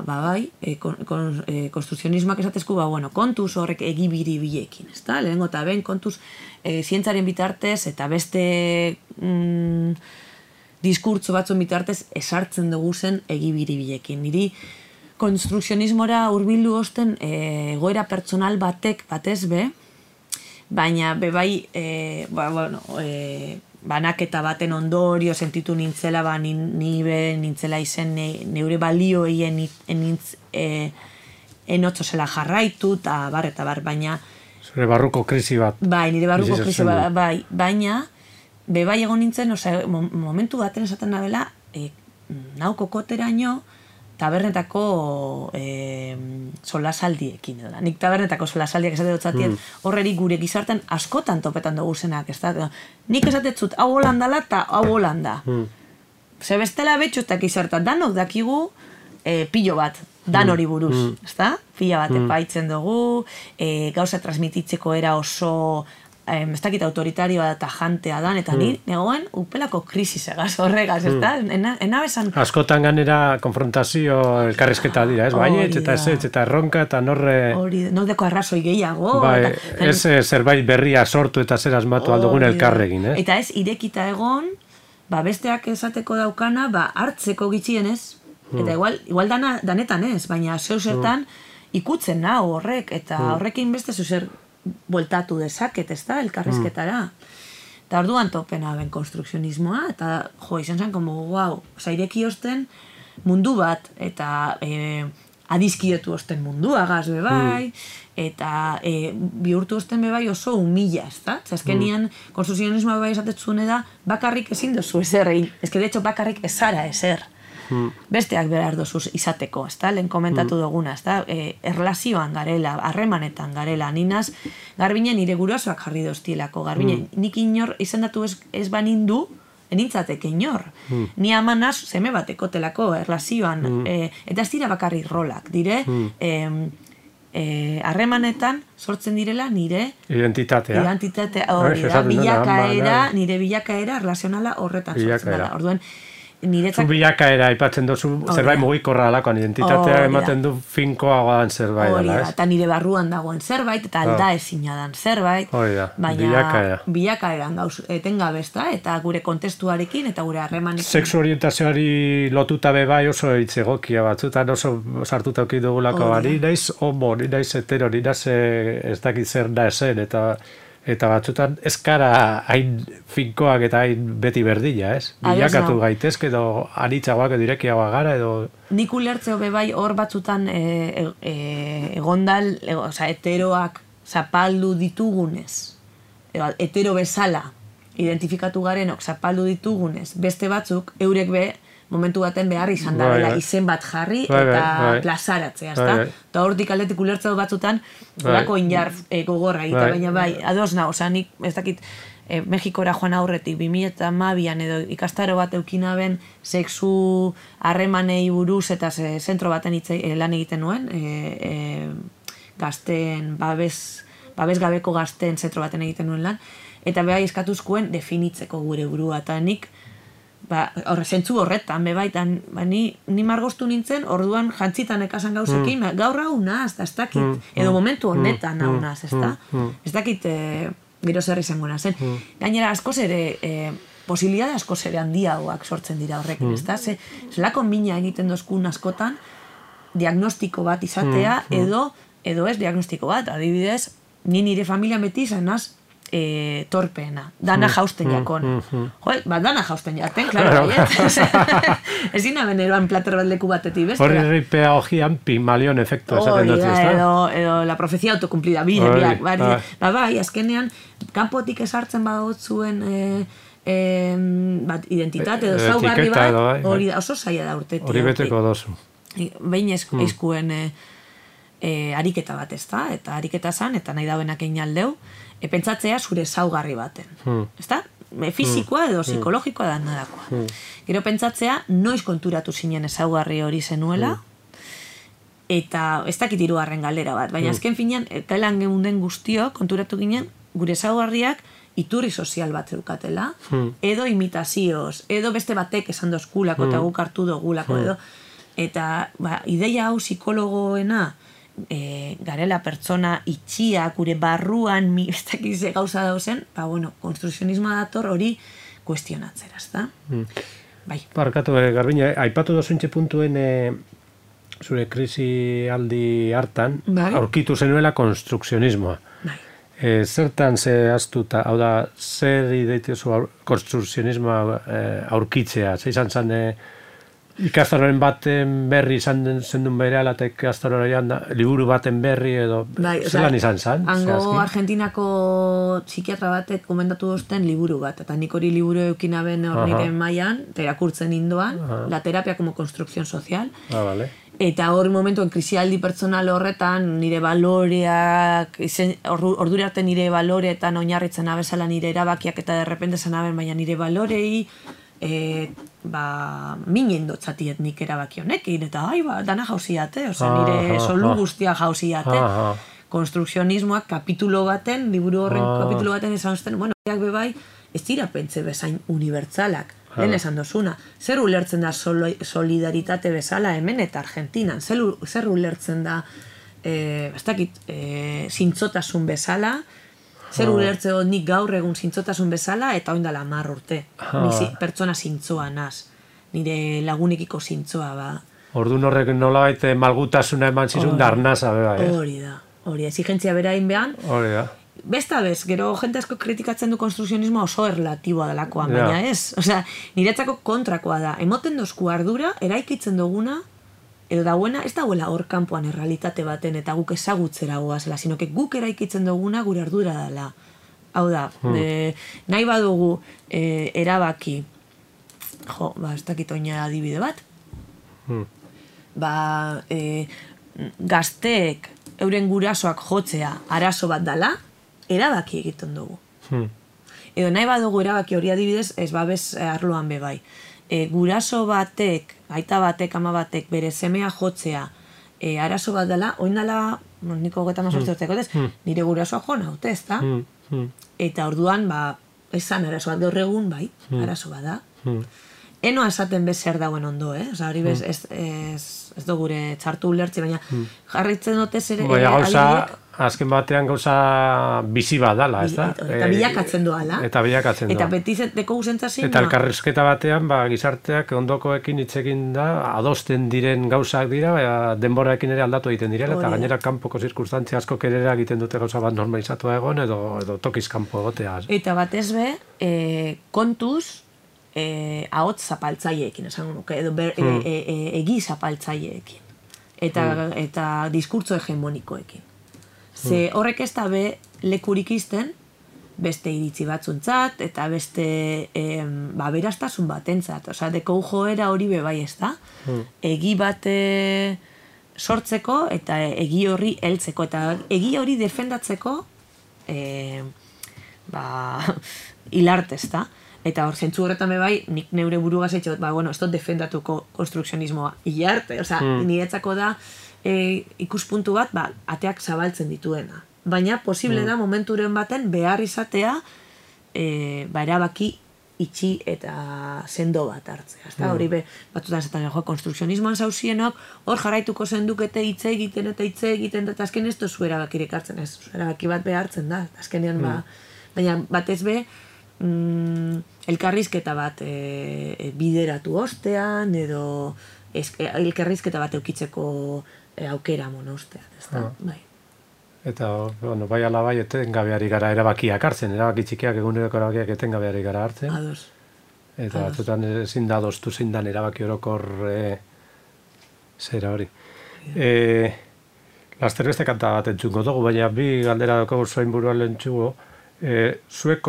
ba bai, e, kon, kon, e, konstrukzionismoak esatezku, ba, bueno, kontuz horrek egibiri bilekin, ezta? Lehengo eta ben, kontuz e, zientzaren bitartez eta beste mm, diskurtso batzun bitartez esartzen dugu zen egibiri bilekin. Niri konstrukzionismora hurbildu osten e, egoera pertsonal batek batez be, baina be bai, e, ba, bueno, e, banaketa baten ondorio sentitu nintzela, ba, ni, ni be nintzela izen ne, neure balioei enintz, e, enotzo zela jarraitu, eta bar, eta bar, baina...
Zure barruko krisi bat.
Bai, nire barruko krisi bat, bai, baina, be bai egon nintzen, oza, momentu baten esaten nabela, e, nau kokoteraino, tabernetako e, solasaldiekin. Edo. Nik tabernetako solasaldiak esate dutzatien, mm. horreri gure gizarten askotan topetan dugu zenak. Ez da? Nik esatetzut, hau holandala eta hau holanda. Mm. Ze bestela betxu eta gizartan, danok dakigu e, pilo bat, dan hori buruz. Mm. Ez da? Pila bat mm. epaitzen dugu, e, gauza transmititzeko era oso... ez dakit autoritarioa eta jantea dan, eta ni negoen upelako krisisegaz horregaz, ez da? Enabesan...
Askotan ganera konfrontazio elkarrizketa dira, ez? Baiet, eta ez, eta erronka, eta norre...
Hori, nordeko arrazoi gehiago...
Bai, ez zerbait berria sortu eta zer asmatu aldugun elkarregin, eh?
Eta ez, irekita egon, ba, besteak esateko daukana, ba, hartzeko gitxienez, eta igual, igual dana, danetan ez, baina zeu zertan ikutzen nau horrek, eta horrekin beste zuzer bueltatu dezaket, ez da, elkarrizketara. Eta orduan topena ben konstrukzionismoa, eta jo, izan zen, como, guau, oza, ireki osten mundu bat, eta e, adizkietu osten mundua gaz bebai, eta e, bihurtu osten bebai oso humila, ez da? Zazkenian, konstrukzionismoa bebai esatetzune da, bakarrik ezin dozu ezer egin. Ez que, de hecho, bakarrik ezara ezer. Besteak behar dozuz izateko, ez da? Lehen komentatu duguna, ez da? E, erlazioan garela, harremanetan garela, ninaz, garbinen nire gurasoak jarri doztielako, garbinen, nik inor izendatu ez, ez banindu, enintzateke inor. Ni amanaz, zeme bateko telako, erlazioan, e, eta ez dira bakarrik rolak, dire, harremanetan e, sortzen direla nire
identitatea,
identitatea hori da, bilakaera, nire bilakaera erlazionala horretan sortzen dara. Orduan, niretzak...
Zu bilakaera aipatzen duzu, zerbait mugikorra alakoan, identitatea ematen du finkoagoan zerbait dela, ez?
Eta nire barruan dagoen zerbait, eta alda ezina dan zerbait, baina bilakaeran gauz etengabe, eta gure kontestuarekin, eta gure harremanekin.
Sexu orientazioari lotuta bebai oso hitz egokia batzutan, oso sartuta auki dugulako, ni naiz homo, ni naiz hetero, ni naiz ez dakit zer da esen, eta... Eta batzutan ez gara hain finkoak eta hain beti berdila, ez? Bilakatu gaitezke edo anitzagoak edo irekiagoak gara edo...
Nik ulertzeo bebai hor batzutan egondal, oza, heteroak zapaldu ditugunez, hetero bezala identifikatu garenok zapaldu ditugunez, beste batzuk eurek be momentu baten behar izan da, dela izen bat jarri eta plazaratzea, ezta? Eta hortik aldetik ulertzeo batzutan horako inar gogorra egite, baina bai, ados na, oza, nik ez dakit Mexikora joan aurretik, bi mila hamabian edo ikastaro bat eukinaben sexu harremanei buruz eta zentro baten lan egiten nuen, gazten, babes gabeko gazten zentro baten egiten nuen lan, eta behar eskatuzkoen definitzeko gure burua, eta nik horre zentzu horretan, bebaitan, ni margoztu nintzen, orduan jantzitan ekasan gauzekin, gaur hau naz, ez dakit, edo momentu honetan hau naz, ez da? Ez dakit gero zer izango nazen. Gainera, askoz ere, posibilidade askoz ere handiagoak sortzen dira horrekin, ez da? Zelako mina egiten dozkun askotan, diagnostiko bat izatea, edo, edo ez diagnostiko bat, adibidez, ni nire familia beti zanaz, E, torpeena, dana jausten jakon. Jo, ba, dana jausten jaten, klaro, ez dina beneroan plater bat leku batetik, beste.
Horri ripea hojian Pigmalion efektu esaten dut, ez da?
Edo la profezia autocumplida, bide, biak, ba, bai, azkenean, kanpotik esartzen badot zuen identitate edo zaugarri bat, hori da, oso zaila da urtetik.
Hori beteko dozu.
Behin eizkuen ariketa bat, ez da? Eta ariketa zan, eta nahi dauenak egin aldeu, pentsatzea zure zaugarri baten. Ezta? Fizikoa edo psikologikoa da nadakoa. Gero pentsatzea noiz konturatu zinen ezaugarri hori zenuela, eta ez dakit hirugarren galdera bat, baina azken finean, kailan geunden guztio konturatu ginen gure ezaugarriak iturri sozial bat zeukatela, edo imitazioz, edo beste batek esan dozkulako eta guk hartu dogulako, edo. Eta ideia hau psikologoena, E, garela pertsona itxia, gure barruan ez dakize gauza dauzen, ba, bueno, konstrukzionismoa dator hori kuestionatzera, ez da? Mm. Bai.
Barkatu, eh, Garbina, aipatu dozuntxe puntuen eh, zure krisi aldi hartan, bai? Aurkitu zenuela konstrukzionismoa. Bai. Eh, zertan ze astuta, hau da, zer ideitiozu konstrukzionismoa eh, aurkitzea, ze izan zen... Eh, ikastaroren baten berri izan zendun bereala eta ikastaroren liburu baten berri edo zelan izan zen?
Hango Argentinako psikiatra batek komendatu dozten liburu bat, eta nik hori liburu eukinaben hor nire maian, eta irakurtzen indoan, la terapia como construcción social, eta hori momentuen krisialdi pertsonal horretan nire baloreak, ordura arte nire baloreetan oinarritzen abezala nire erabakiak eta derrepente zen aben, baina nire balorei E, ba, minen dotzatiet nik erabaki honekin, eta ai, ba, dana jauziate, oza, nire solu guztia jauziate. Konstrukzionismoak kapitulo baten, liburu horren kapitulo baten esan zuten, bueno, bebai, ez dira pentsa bezain unibertsalak, lehen esan dozuna. Zer ulertzen da solidaritate bezala hemen eta Argentinan, zer ulertzen da, ez dakit, zintzotasun bezala, zer ulertzeo nik gaur egun zintzotasun bezala, eta oindala hamar urte. Ni pertsona zintzoa naz. Nire lagunekiko zintzoa, ba.
Orduan horrek nolabait malgutasuna eman zizun darnaza, beba, ez?
Hori da, hori, exigentzia berain behan.
Hori da.
Besta bez, gero jente asko kritikatzen du konstrukzionismoa oso erlatiboa delakoan, baina ez. Osea, niretzako kontrakoa da. Emoten dozku ardura, eraikitzen duguna, edo dauena, ez dauela hor kanpoan errealitate baten eta guk ezagutzera goazela, sino que guk eraikitzen duguna gure ardura dela. Hau da, nahi badugu erabaki, jo, ba, ez dakit oina adibide bat, ba, gazteek euren gurasoak jotzea arazo bat dela, erabaki egiten dugu. Edo nahi badugu erabaki hori adibidez, ez babes arloan bebai. E, guraso batek, aita batek, ama batek, bere semea jotzea, e, arazo bat dela, oin dela, niko geta mazortze urteko, nire gurasoa jo naute, ez da? Eta orduan, ba, esan arazo bat gaur egun, bai, arazo bat da. enoa esaten bez zer dauen ondo, eh? Osa, hori bez, ez, ez, ez du gure txartu ulertzi, baina jarritzen dute zer
Baina gauza, azken batean gauza bizi bat dala, ez da?
Eta bilakatzen doala.
Eta bilakatzen doa.
Eta beti deko guzentzazin.
Eta elkarrizketa batean, ba, gizarteak ondokoekin hitzekin da, adosten diren gauzak dira, ba, denboraekin ere aldatu egiten direla, eta gainera kanpoko zirkunstantzia asko kerera egiten dute gauza bat normalizatua egon, edo, edo tokiz kanpo egotea.
Eta batez be, e, kontuz, e, ahotz zapaltzaileekin, esango nuke, edo ber, hmm. e, e, e, egi zapaltzaileekin. Eta, hmm. eta diskurtso hegemonikoekin. Ze horrek ez da be lekurik izten, beste iritzi batzuntzat, eta beste em, ba, beraztasun batentzat. Osea, deko joera hori bebai ez da. Hmm. Egi bate sortzeko eta egi horri heltzeko. Eta egi hori defendatzeko e, ba, hilartez da. Eta hor, zentzu horretan bebai, nik neure burugaz etxot, ba, bueno, ez dut defendatuko konstrukzionismoa hilarte. Osea, hmm. niretzako da E, ikuspuntu bat, ba, ateak zabaltzen dituena. Baina posible da momenturen baten behar izatea e, ba, erabaki itxi eta sendo bat hartzea. Ezta? Hori be, batzutan zaten jo, konstrukzionismoan zauzienok, hor jarraituko zendukete hitze egiten eta hitze egiten, eta azken ez tozu erabakirek hartzen, ez, erabaki bat behartzen da. Azkenean, ba, baina batez be, mm, elkarrizketa bat e, bideratu ostean, edo ez, elkarrizketa bat eukitzeko E, aukera monostean, ez da, ah. bai.
Eta, bueno, bai ala bai, etengabeari gara erabakiak hartzen, erabaki txikiak eguneroko erabakiak etengabeari gara hartzen.
Ados.
Eta batzutan ezin da adostu zein dan erabaki orokor e, zera hori. Yeah. E, Laster beste kanta bat entzungo dugu, baina bi galdera doko zoin buruan lehentzugo, e, zuek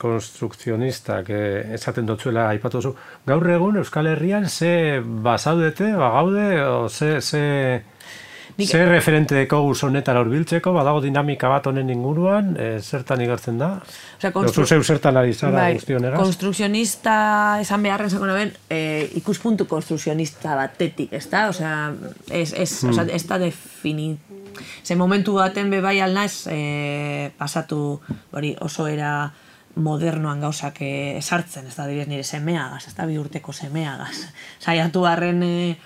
konstrukzionistak e, esaten dutzuela aipatu zu, gaur egun Euskal Herrian ze bazaudete, bagaude, o ze... ze Zer referente deko guz honetan horbiltzeko, badago dinamika bat honen inguruan, e, zertan igartzen da?
Osea, konstru...
zeu zertan ari zara
bai,
guztionegaz?
Konstrukzionista esan beharren zako naben, e, ikuspuntu konstrukzionista batetik, ez da? Osea, ez, ez, hmm. osea, ez da defini... Ze momentu baten bebai alnaz, e, pasatu hori oso era modernoan gauzak esartzen, ez da, direz nire semeagaz, ez da, bi urteko semeagaz. Saiatu harren... E,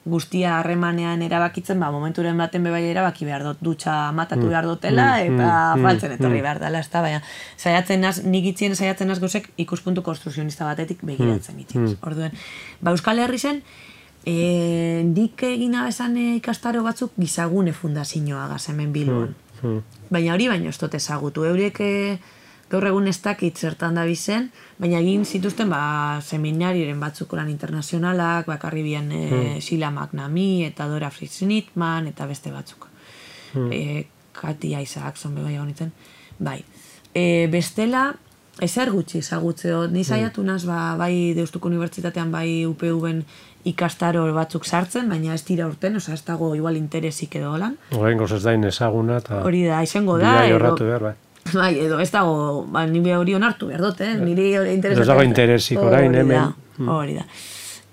guztia harremanean erabakitzen, ba, momenturen baten bebai erabaki behar dut, dutxa matatu behar dutela, eta faltzen etorri behar dela, ez da, baina, saiatzen naz, nik itzien saiatzen naz gozek ikuspuntu konstrukzionista batetik begiratzen itziz. Orduen, ba, Euskal Herri zen, e, nik egina esan ikastaro batzuk gizagune fundazioa gaz hemen Bilbon. Baina hori baino ez dut ezagutu, eurek gaur egun ez dakit zertan da bizen, baina egin zituzten ba, seminariren batzuk lan internazionalak, bakarri bien e, hmm. Sheila McNamee eta Dora Fritz-Nitman eta beste batzuk. Hmm. E, Katia Isaacson bebai honitzen. Bai. E, bestela, ezer gutxi ezagutzeo. Ni saiatu naz, ba, bai Deustuko Unibertsitatean, bai U P V-en ikastaro batzuk sartzen, baina ez dira urten, oza, ez dago igual interesik edo lan.
Horrengoz ez dain ezaguna, eta...
Hori da, izango da,
edo... behar, bai.
Bai, edo ez dago, ba, nire hori onartu behar dut, eh? Nire hori interesatzen.
Ez dago interesik orain, hemen.
Hori da.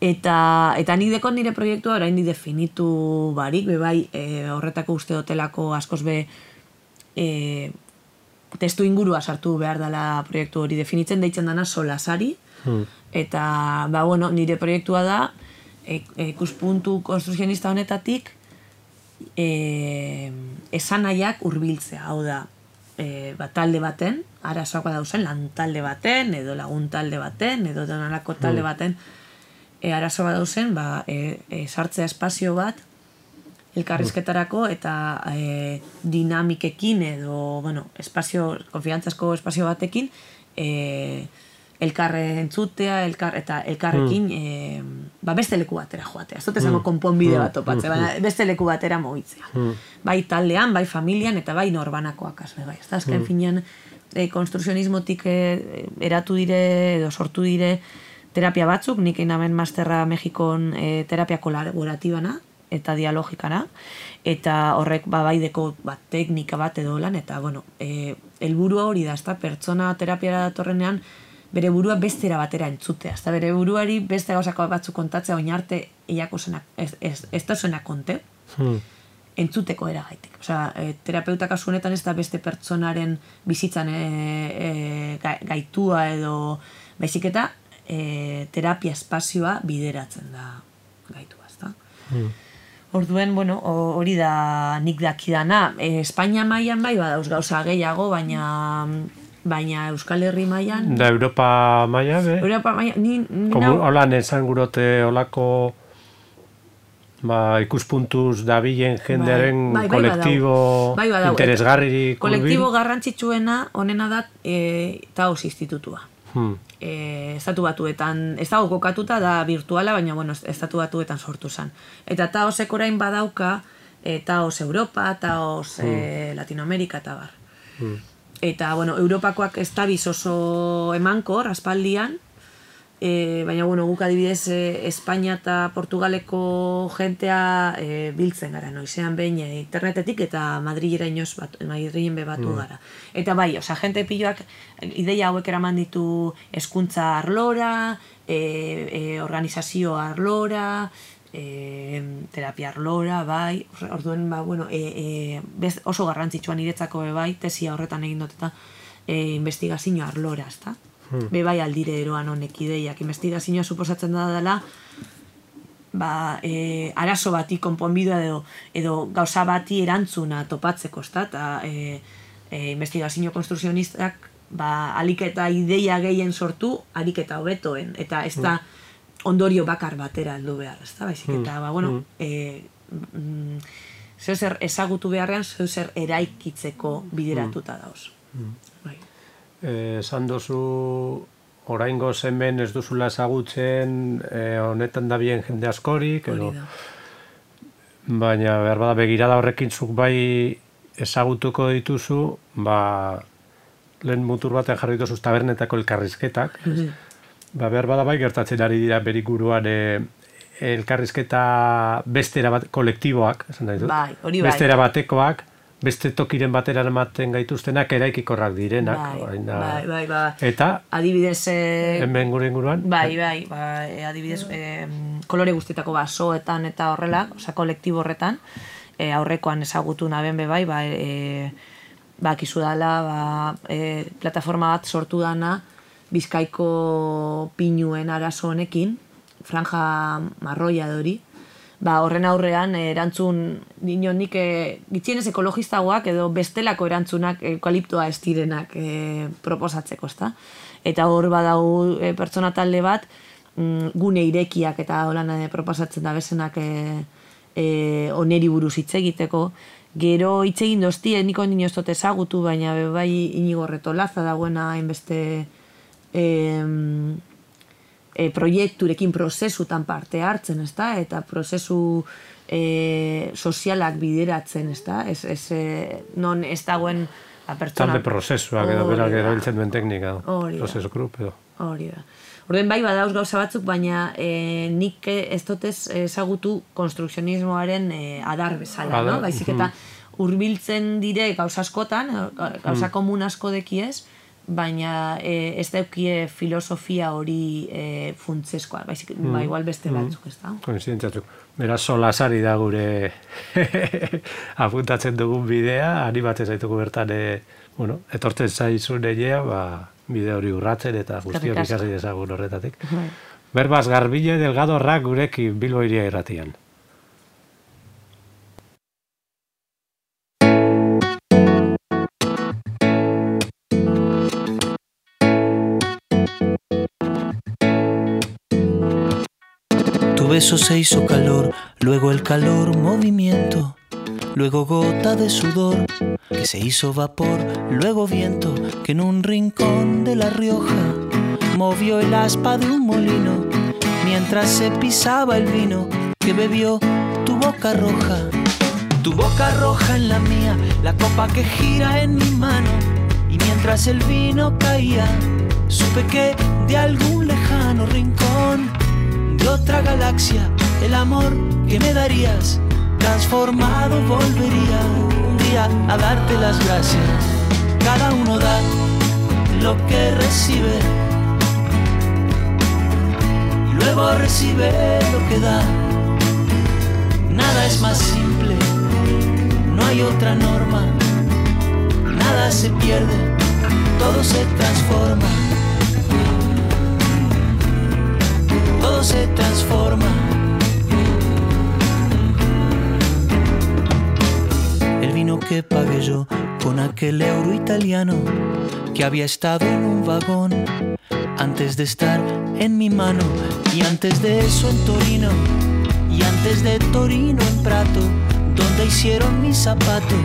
Eta, eta nik dekot nire proiektua orain di definitu barik, be bai, e, horretako uste dotelako askoz be e, testu ingurua sartu behar dela proiektu hori definitzen, deitzen dana solasari, hmm. eta, ba, bueno, nire proiektua da, e, e, ikuspuntu konstrukzionista honetatik, e, esanaiak hurbiltzea, hau da, E, ba, talde baten, arazoak dauzen, lan talde baten, edo lagun talde baten, edo donalako talde baten, e, arazoak dauzen, ba, e, e, sartzea espazio bat, elkarrizketarako, eta e, dinamikekin, edo, bueno, espazio, konfiantzazko espazio batekin, e, elkarre entzutea, elkar, eta elkarrekin e, ba, beste leku batera joatea. Ez dut esango konponbide bat topatzea, baina beste leku batera mogitzea. Bai taldean, bai familian, eta bai norbanakoak azbe, bai. Ez da, azken finean, e, konstrukzionismotik e, eratu dire, edo sortu dire terapia batzuk, nik einamen masterra Mexikon e, terapia kolaboratibana, eta dialogikana, eta horrek ba, baideko ba, teknika bat edo lan, eta, bueno, e, helburua hori da, ez da, pertsona terapiara datorrenean, bere burua bestera batera entzutea. Ezta bere buruari beste gauzako batzuk kontatzea oin arte eiako zenak, ez, ez, ez da zenak konte, hmm. entzuteko eragaitik. Osea, e, terapeuta kasu honetan ez da beste pertsonaren bizitzan e, e, gaitua edo baizik eta e, terapia espazioa bideratzen da gaitu, ezta?
Mm.
Orduen, bueno, hori da nik dakidana. E, Espainia mailan bai badauz gauza gehiago, baina baina Euskal Herri mailan...
Da Europa maila, be?
Europa mailan... Ni, ni
Komu,
nau...
Holan esan gurote olako ba, ikuspuntuz dabilen jendearen
bai, bai,
kolektibo
bai, badau.
interesgarririk.
Kolektibo garrantzitsuena honena da e, Taos institutua.
Hmm.
E, estatu batuetan, ez dago kokatuta da virtuala, baina bueno, estatu batuetan sortu zen. Eta Taosek orain badauka e, Taos Europa, Taos hmm. e, Latinoamerika eta bar. Hmm. Eta, bueno, Europakoak ez dabiz oso emankor, aspaldian, e, baina, bueno, guk adibidez e, Espainia eta Portugaleko jentea e, biltzen gara, noizean behin e, internetetik eta Madrilera inoz bat, Madrilen be batu mm. gara. Eta bai, oza, jente piloak ideia hauek eraman ditu hezkuntza arlora, e, e, organizazio arlora, e, terapia arlora, bai, orduen, ba, bueno, e, e, bez, oso garrantzitsua niretzako be bai, tesia horretan egin dut eta e, investigazio arlora, ezta? Hmm. Be bai aldire eroan honek ideiak. Investigazioa suposatzen da dela ba, e, arazo bati konponbidea edo, edo gauza bati erantzuna topatzeko, ezta? Eta e, e, investigazio konstrukzionistak ba, alik eta ideia gehien sortu, alik eta hobetoen. Eta ez da ondorio bakar batera heldu behar, ezta? Baizik eta, ba, bueno, e, mm, zeu zer ezagutu beharrean, zeu zer eraikitzeko bideratuta dauz. Bai.
Esan dozu oraingo hemen ez duzula ezagutzen eh, honetan da bien jende askorik edo, baina behar bada begirada horrekin zuk bai ezagutuko dituzu, ba, lehen mutur batean jarri dituzuz tabernetako elkarrizketak, mm-hmm. ba, behar bada bai gertatzen ari dira beriguruan eh, elkarrizketa bestera bat, kolektiboak, esan da ditut,
bai, hori bai.
Bestera batekoak, beste tokiren batera ematen gaituztenak eraikikorrak direnak.
Bai,
oina,
bai, bai, bai.
Eta,
adibidez... E,
hemen gure inguruan?
Bai, bai, bai, adibidez, e, kolore guztietako basoetan eta horrela, oza, kolektibo horretan, e, aurrekoan ezagutu naben be bai, ba, e, ba, kizu dala, ba, e, plataforma bat sortu dana, Bizkaiko pinuen arazo honekin, franja marroia dori, ba, horren aurrean erantzun dino nik e, gitxienez ekologistagoak edo bestelako erantzunak eukaliptoa ez direnak e, proposatzeko, ezta? Eta hor badau e, pertsona talde bat mm, gune irekiak eta holan e, proposatzen da bezenak e, e, oneri buruz hitz egiteko. Gero hitz egin doztie, niko nino ez dut ezagutu, baina bai Inigo Retolaza dagoena hainbeste e, E, proiekturekin prozesutan parte hartzen, ezta? Eta prozesu e, sozialak bideratzen, ezta? Ez, ez, e, non ez dagoen a pertsona...
Talde prozesuak edo berak erabiltzen duen teknika. Prozesu grup edo.
Hori da. Orden bai badauz gauza batzuk, baina e, nik ez dotez ezagutu konstrukzionismoaren e, adar bezala, no? Baizik eta hurbiltzen dire gauza askotan, gauza komun asko dekiez, baina e, ez daukie filosofia hori e, funtzeskoa, baizik, mm. ba, igual beste batzuk, ez da?
Koinzidentziatzuk. Beraz, solasari da gure apuntatzen dugun bidea, animatzen zaitugu bertan, e, bueno, etortzen zaizun egea, ba, bide hori urratzen eta guztiok ikasi dezagun horretatik. Berbaz, Garbine Delgado Rak gurekin Bilbo Hiria Irratian.
Tu beso se hizo calor, luego el calor movimiento, luego gota de sudor que se hizo vapor, luego viento que en un rincón de La Rioja movió el aspa de un molino mientras se pisaba el vino que bebió tu boca roja. Tu boca roja en la mía, la copa que gira en mi mano, y mientras el vino caía supe que de algún lejano rincón de otra galaxia, el amor que me darías, transformado volvería un día a darte las gracias. Cada uno da lo que recibe, luego recibe lo que da. Nada es más simple, no hay otra norma. Nada se pierde, todo se transforma. todo se transforma. El vino que pagué yo con aquel euro italiano que había estado en un vagón antes de estar en mi mano, y antes de eso en Torino, y antes de Torino en Prato, donde hicieron mi zapato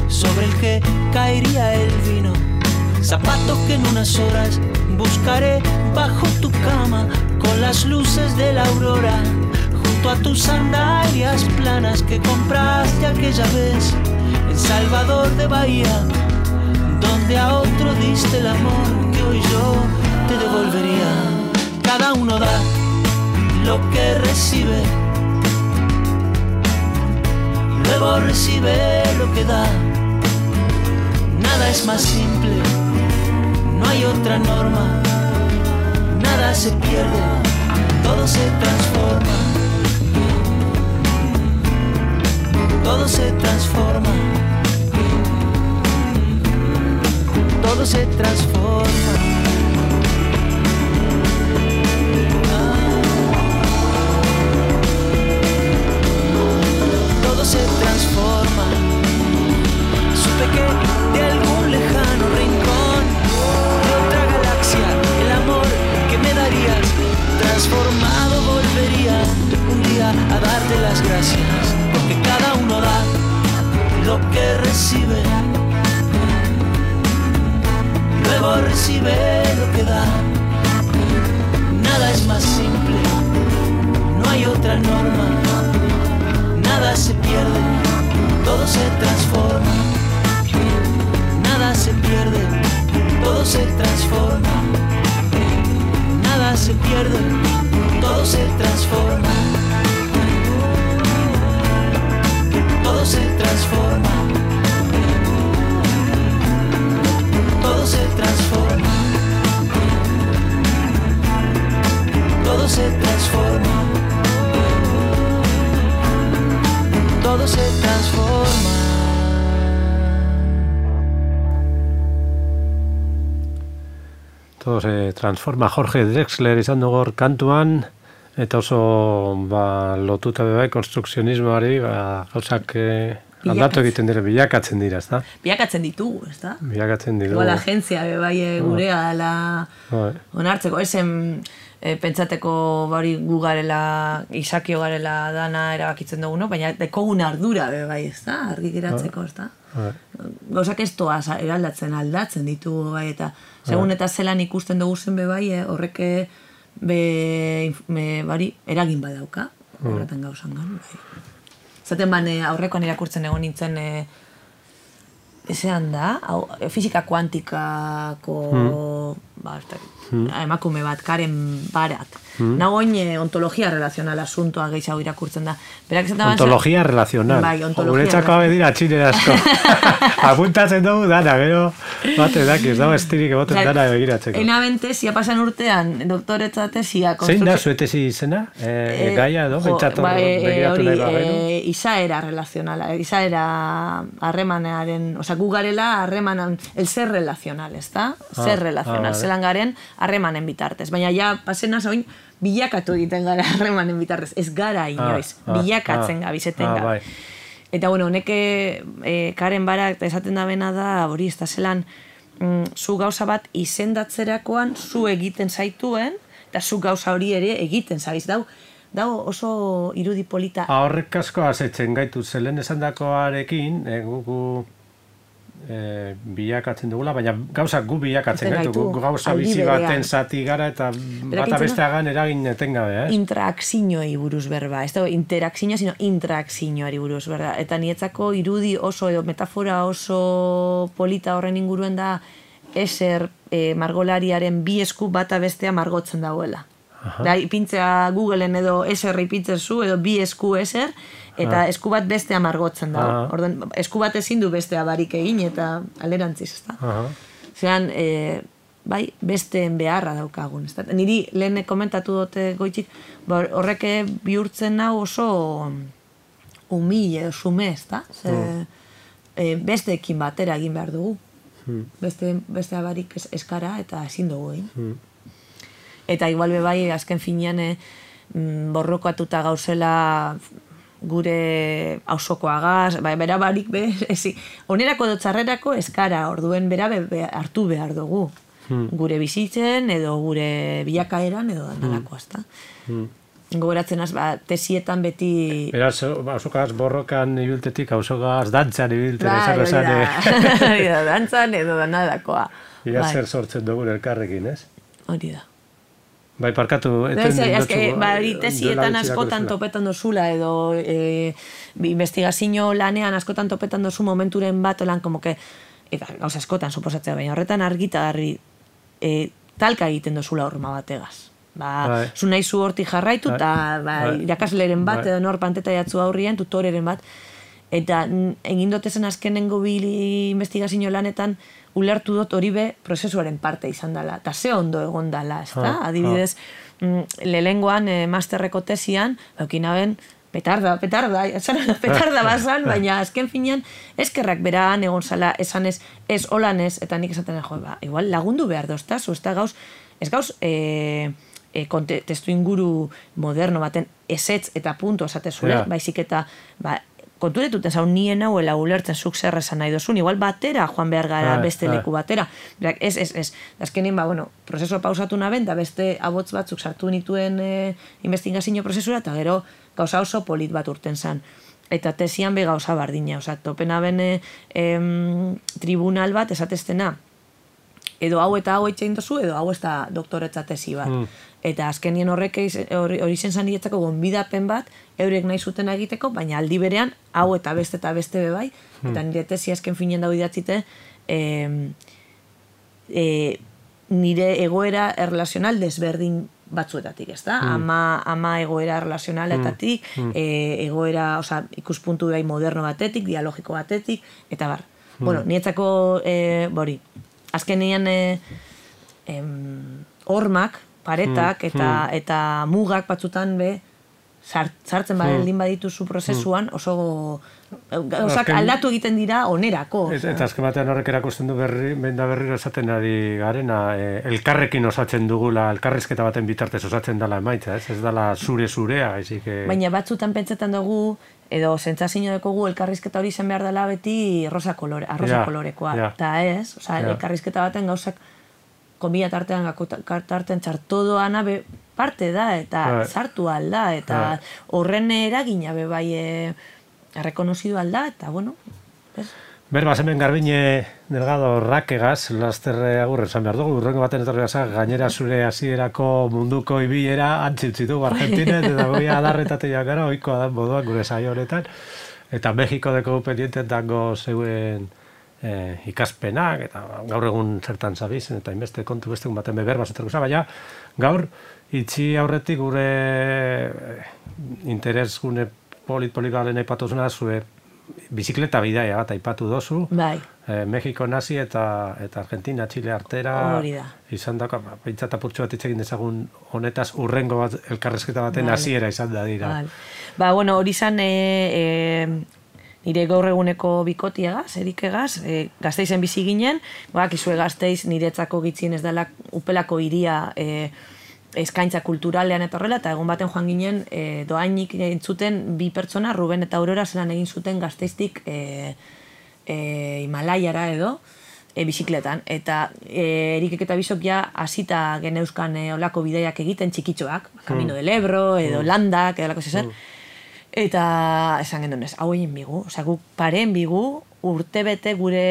sobre el que caería el vino. Zapato que en unas horas buscaré bajo tu cama con las luces de la aurora, junto a tus sandalias planas que compraste aquella vez en Salvador de Bahía, donde a otro diste el amor que hoy yo te devolvería. Cada uno da lo que recibe, luego recibe lo que da. Nada es más simple, no hay otra norma. Nada se pierde, todo se transforma. Todo se transforma. Todo se transforma. Todo se transforma. Supe que de algún lejano rincón de otra galaxia el amor que me darías transformado volvería un día a darte las gracias, porque cada uno da lo que recibe, luego recibe lo que da. Nada es más simple, no hay otra norma. Nada se pierde, todo se transforma. Nada se pierde, todo se transforma. Nada se pierde, todo se transforma. Todo se transforma. Todo se transforma. Todo se transforma. Todo se transforma.
Todo se transforma. Jorge Drexler izan dugu kantuan, eta oso ba, lotuta bebai konstrukzionismoari, ba, gauzak eh, aldatu egiten dira, bilakatzen dira, ez da?
Bilakatzen ditugu, ez da?
Bilakatzen ditugu.
Igual agentzia bebai gurea dela onartzeko, esen e, pentsateko bari gu garela, izakio garela dana erabakitzen dugu, no? Baina dekogun ardura bebai, ez da? Argi geratzeko, ez da? Gauzak ez toaz eraldatzen, aldatzen ditugu, bai, eta segun eta zelan ikusten dugu zen bebai, horrek be, be, bari, eragin badauka, horretan gauzan gan, bai. Zaten ban, aurrekoan irakurtzen egon nintzen, e, ezean da, hau, fisika kuantikako, mm. ba, mm. emakume bat, Karen Barat. Mm. Nagoin e, ontologia relazional asuntoa gehiago irakurtzen da. Berak
ontologia ban, relazional.
Bai, ontologia.
Guretzako hau dira txinera asko. Apuntatzen dugu dana, gero, bate dakiz, dago estirik egoten dana begiratzeko.
Einaben tesia pasan urtean, doktoretza tesia.
Zein da zuete izena? E, e, gaia edo?
Jo, ba, e, hori, e, izaera relazionala, izaera harremanearen, oza, gu garela harremanan, el ser relazional, ez da? Ah, ser relazional, ah, zelan garen harremanen bitartez. Baina ja, pasena zoin, bilakatu egiten gara harremanen bitartez, ez gara inoiz, ah, bilakatzen ah, gabizeten ah, gara. Bai. Eta, bueno, honeke e, Karen Barak esaten da bena da, hori, ez da zelan, mm, zu gauza bat izendatzerakoan zu egiten zaituen, eta zu gauza hori ere egiten zabiz. Dau, dau oso irudi polita.
Horrek asko azetzen gaitu, zelen esandakoarekin, e, gugu e, bilakatzen dugula, baina gauzak gu bilakatzen gaitu, gu gauza bizi baten zati gara eta bata besteagan eragin etengabe, eh?
Interakzinoei buruz berba, ez da interakzinoa, sino intrakzinoari buruz berba, eta nietzako irudi oso edo metafora oso polita horren inguruen da eser e, margolariaren bi esku bata bestea margotzen dagoela. Da, ipintzea Googleen edo eser ipintzen zu, edo bi esku eser, eta esku bat bestea margotzen da. Orden, esku bat ezin du bestea barik egin, eta alderantziz, ez da. Zeran, e, bai, besteen beharra daukagun, ez da. Niri lehen komentatu dute goitxik, horrek bihurtzen hau oso humile, sume, ez da. E, besteekin batera egin behar dugu. Beste, bestea barik eskara eta ezin dugu egin. Eta igual bebai, azken finean, e, borrokatuta gauzela gure auzokoagaz, bai, bera barik be, ezi, onerako edo txarrerako eskara, orduen bera be, be, hartu behar dugu. Hmm. Gure bizitzen, edo gure bilakaeran, edo dandalako, ezta. Hmm. Gogoratzen az, ba, tesietan beti...
Beraz, auzokaz borrokan ibiltetik, auzokaz dantzan ibilten,
ba,
esako esan.
Hori da, dantzan edo danadakoa.
Ia zer sortzen dugun elkarrekin, ez?
Hori da.
Bai, parkatu, eten
dutzu... Ba, tesietan askotan topetan dozula, edo e, investigazio lanean askotan topetan dozu momenturen bat, lan, como que, eta gauza askotan, suposatzea, baina horretan argita garri, e, talka egiten dozula horma bategaz. Ba, zu nahi zu hortik jarraitu, eta ba, irakasleren bat, edo nor panteta jatzu aurrien, tutoreren bat, eta egin dotezen azkenengo bi investigazio lanetan, ulertu dut hori be prozesuaren parte izan dela, eta ze ondo egon dela, ez da? Adibidez, lehengoan, masterreko tesian, eukinaben, petarda, petarda, petarda bazan, baina azken finean, eskerrak beraan egon zala, esan ez, ez holan ez, eta nik esaten jo, ba, igual lagundu behar doztaz, ez da gauz, ez gauz, e, e, testu inguru moderno baten ezetz eta punto esatezule, yeah. Baizik eta, ba, konturetuten zaun nien hauela ulertzen zuk zer esan nahi dozun, igual batera joan behar gara beste leku batera. Berak, ez, ez, ez. Azkenin, ba, bueno, prozesua pausatu naben, da beste abotz batzuk sartu nituen e, investigazio prozesura, eta gero gauza oso polit bat urten zan. Eta tesian be gauza bardina, oza, topena bene em, tribunal bat esateztena, edo hau eta hau etxein dozu, edo hau ez da doktoretza tesi bat. Mm. Eta azkenien horrek hori zen zan diretzako gonbidapen bat, eurek nahi zuten egiteko, baina aldi berean, hau eta beste eta beste bebai, mm. eta nire tesi azken finean dago idatzite, e, e, nire egoera erlazional desberdin batzuetatik, ez da? Mm. Ama, ama egoera erlazionaletatik, mm. e, egoera, oza, ikuspuntu bai moderno batetik, dialogiko batetik, eta bar. Mm. Bueno, niretzako, e, bori, azkenean e, em, hormak, paretak eta mm. eta mugak batzutan be sartzen baldin badituzu prozesuan oso gauzak aldatu egiten dira onerako.
Eta azken batean horrek erakusten du berri, benda berriro esaten ari garena, e, elkarrekin osatzen dugula, elkarrizketa baten bitartez osatzen dela emaitza, ez? Ez dela zure-zurea, ezik... E...
Baina batzutan pentsetan dugu, edo sentsazio dekogu elkarrizketa hori izan behar dela beti rosa kolore, arrosa ja, kolorekoa. Eta ja. Ez, oza, ja. Elkarrizketa baten gauzak komila tartean, tartean txartodoana be parte da, eta right. Sartu alda, eta right. Horren eragina be bai e, errekonozidu alda, eta bueno, ez?
Berbaz, hemen Garbine Delgado Rakegaz, lasterre agurre esan behar dugu, urrengo baten etorri gazak, gainera zure hasierako munduko ibilera antzitzitu Argentinet, eta goi adarretate jakara, oikoa da moduak gure saio honetan, eta Mexiko deko pendienten dango zeuen eh, ikaspenak, eta gaur egun zertan zabizen, eta inbeste kontu beste un baten beber bazetarko baina gaur itxi aurretik gure interes gune polit-polikalen aipatuzuna zue bizikleta bidaia bat aipatu dozu.
Bai.
Eh, Mexiko nazi eta eta Argentina, Chile artera izan dako, pentsat apurtxo bat itxegin dezagun honetaz urrengo bat elkarrezketa baten hasiera izan da dira.
Bai. Ba, bueno, hori izan e, e, nire gaur eguneko bikotiagaz, erikegaz, e, Gasteizen bizi ginen, bak, izue Gasteiz niretzako gitzien ez dela upelako iria e, eskaintza kulturalean eta horrela, eta egun baten joan ginen e, doainik entzuten bi pertsona, Ruben eta Aurora zelan egin zuten Gasteiztik e, e, Himalaiara edo, e, bizikletan. Eta e, erikek eta bizok ja hasita geneuzkan e, olako bidaiak egiten txikitxoak, Camino del Ebro, edo mm. landak, edo lako zezen. Mm. Eta esan gendun ez, hau egin bigu, osea, guk paren bigu, urtebete gure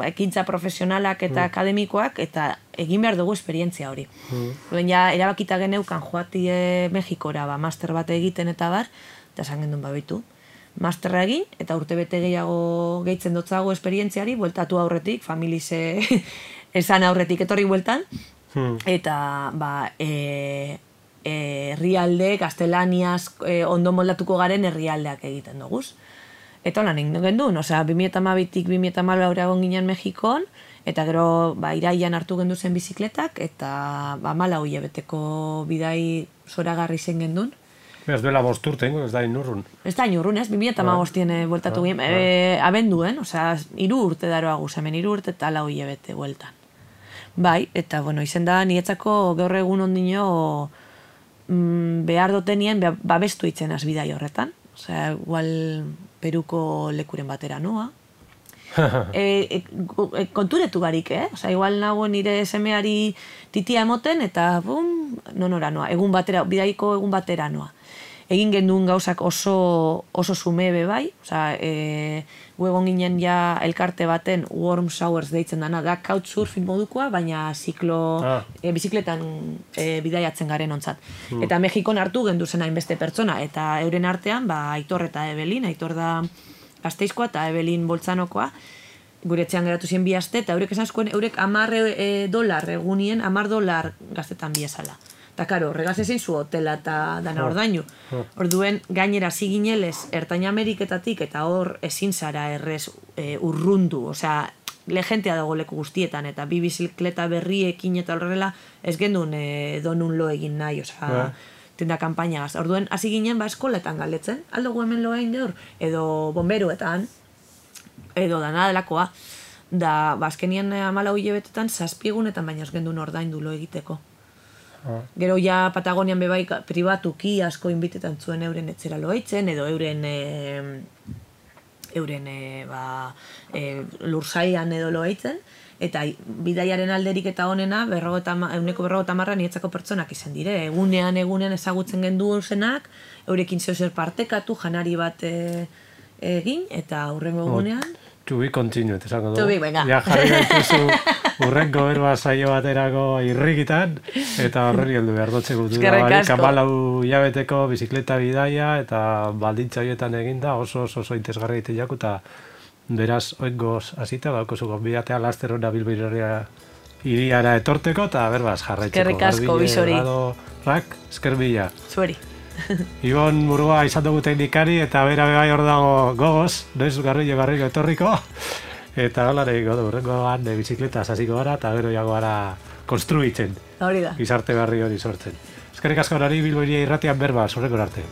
ekintza profesionalak eta mm. akademikoak, eta egin behar dugu esperientzia hori. Mm. Ja, erabakita geneukan joatie Mexikora, ba, master bat egiten eta bar, eta esan gendun babitu. Masterra egin, eta urtebete gehiago gehitzen dotzago esperientziari, bueltatu aurretik, familize esan aurretik etorri bueltan, mm. eta, ba, e, herrialde, gaztelaniaz e, ondo moldatuko garen herrialdeak egiten duguz. Eta holan egin gendun, osea, bi mila hamabitik bi mila hamalau egon ginen Mexikon, eta gero ba, iraian hartu gendu zen bizikletak, eta ba, mala hoi ebeteko bidai zoragarri zen gendun.
Ez duela bosturten, ez da inurrun.
Ez da inurrun, ez, bi mila hamabostien bueltatu ginen, e, abenduen, osea, hiru urte daroa guz, hemen hiru urte eta lau hilabete bueltan. Bai, eta bueno, izen da, niretzako gaur egun ondino mm, behar dotenien babestu itzen az bidai horretan. Osea, igual Peruko lekuren batera noa. e, e, e, konturetu barik, eh? Osea, igual nago nire semeari titia emoten eta bum, nonora noa. Egun batera, bidaiko egun batera noa. Egin genduen gauzak oso, oso zumebe bai, osea, e, gu egon ginen ja elkarte baten Warm Showers deitzen dana, da couchsurfing modukoa, baina ziklo, ah. e, bizikletan e, bidaiatzen garen ontzat. Mm. Eta Mexikon hartu gendu zen hainbeste pertsona, eta euren artean, ba, Aitor eta Ebelin, Aitor da Gasteizkoa eta Ebelin Boltzanokoa, gure etxean geratu ziren bi aste, eta eurek esan zuen, eurek amar e, dolar egunien, amar dolar gaztetan biezala. Eta, karo, regaz ezin zu hotela eta dana ordainu. Orduen, gainera ziginelez, Ertain Ameriketatik eta hor ezin zara errez e, urrundu. Osea, legentea dago leku guztietan, eta bi bizikleta berriekin eta horrela ez gendun e, donun lo egin nahi, osea, tenda kampainagaz. Orduen, hasi ginen, ba, eskoletan galdetzen, aldo gu hemen lo egin gaur, edo bomberuetan, edo dana delakoa, da, ba, azkenien amalau hilebetetan, zazpiegunetan baina ez gendun ordaindu lo egiteko. Gero ja Patagonian bebai pribatuki asko inbitetan zuen euren etzera loaitzen, edo euren e, euren e, ba, e, lursaian edo loaitzen, eta bidaiaren alderik eta honena euneko berrogota marra nietzako pertsonak izan dire. Egunean, egunean ezagutzen gendu zenak, eurekin zeu zer partekatu, janari bat e, egin, eta hurrengo egunean...
To be continued, esango du.
To be, venga.
Ja jarri gaituzu urrengo berba saio baterako irrikitan, eta horreri heldu behar dotzeko du.
Eskerrik asko.
Kamalau hilabeteko bizikleta bidaia, eta baldintza horietan eginda oso oso oso interesgarri egite jaku, eta beraz, oingoz hasita, gauko zuko bidatea laster hona Bilbairia iriara etorteko, eta berbaz jarraitzeko.
Eskerrik asko, bisori.
Rak, esker bila.
Zueri.
Ibon Murua izan dugu teknikari, eta bera bebai hor dago gogoz, noiz garrillo garrillo etorriko, eta holare godu, urrengoan bizikleta hasiko gara, eta gero jago gara konstruitzen.
Hori da.
Gizarte berri hori sortzen. Eskerrik asko nari Bilbairia irratian berba, horreko arte.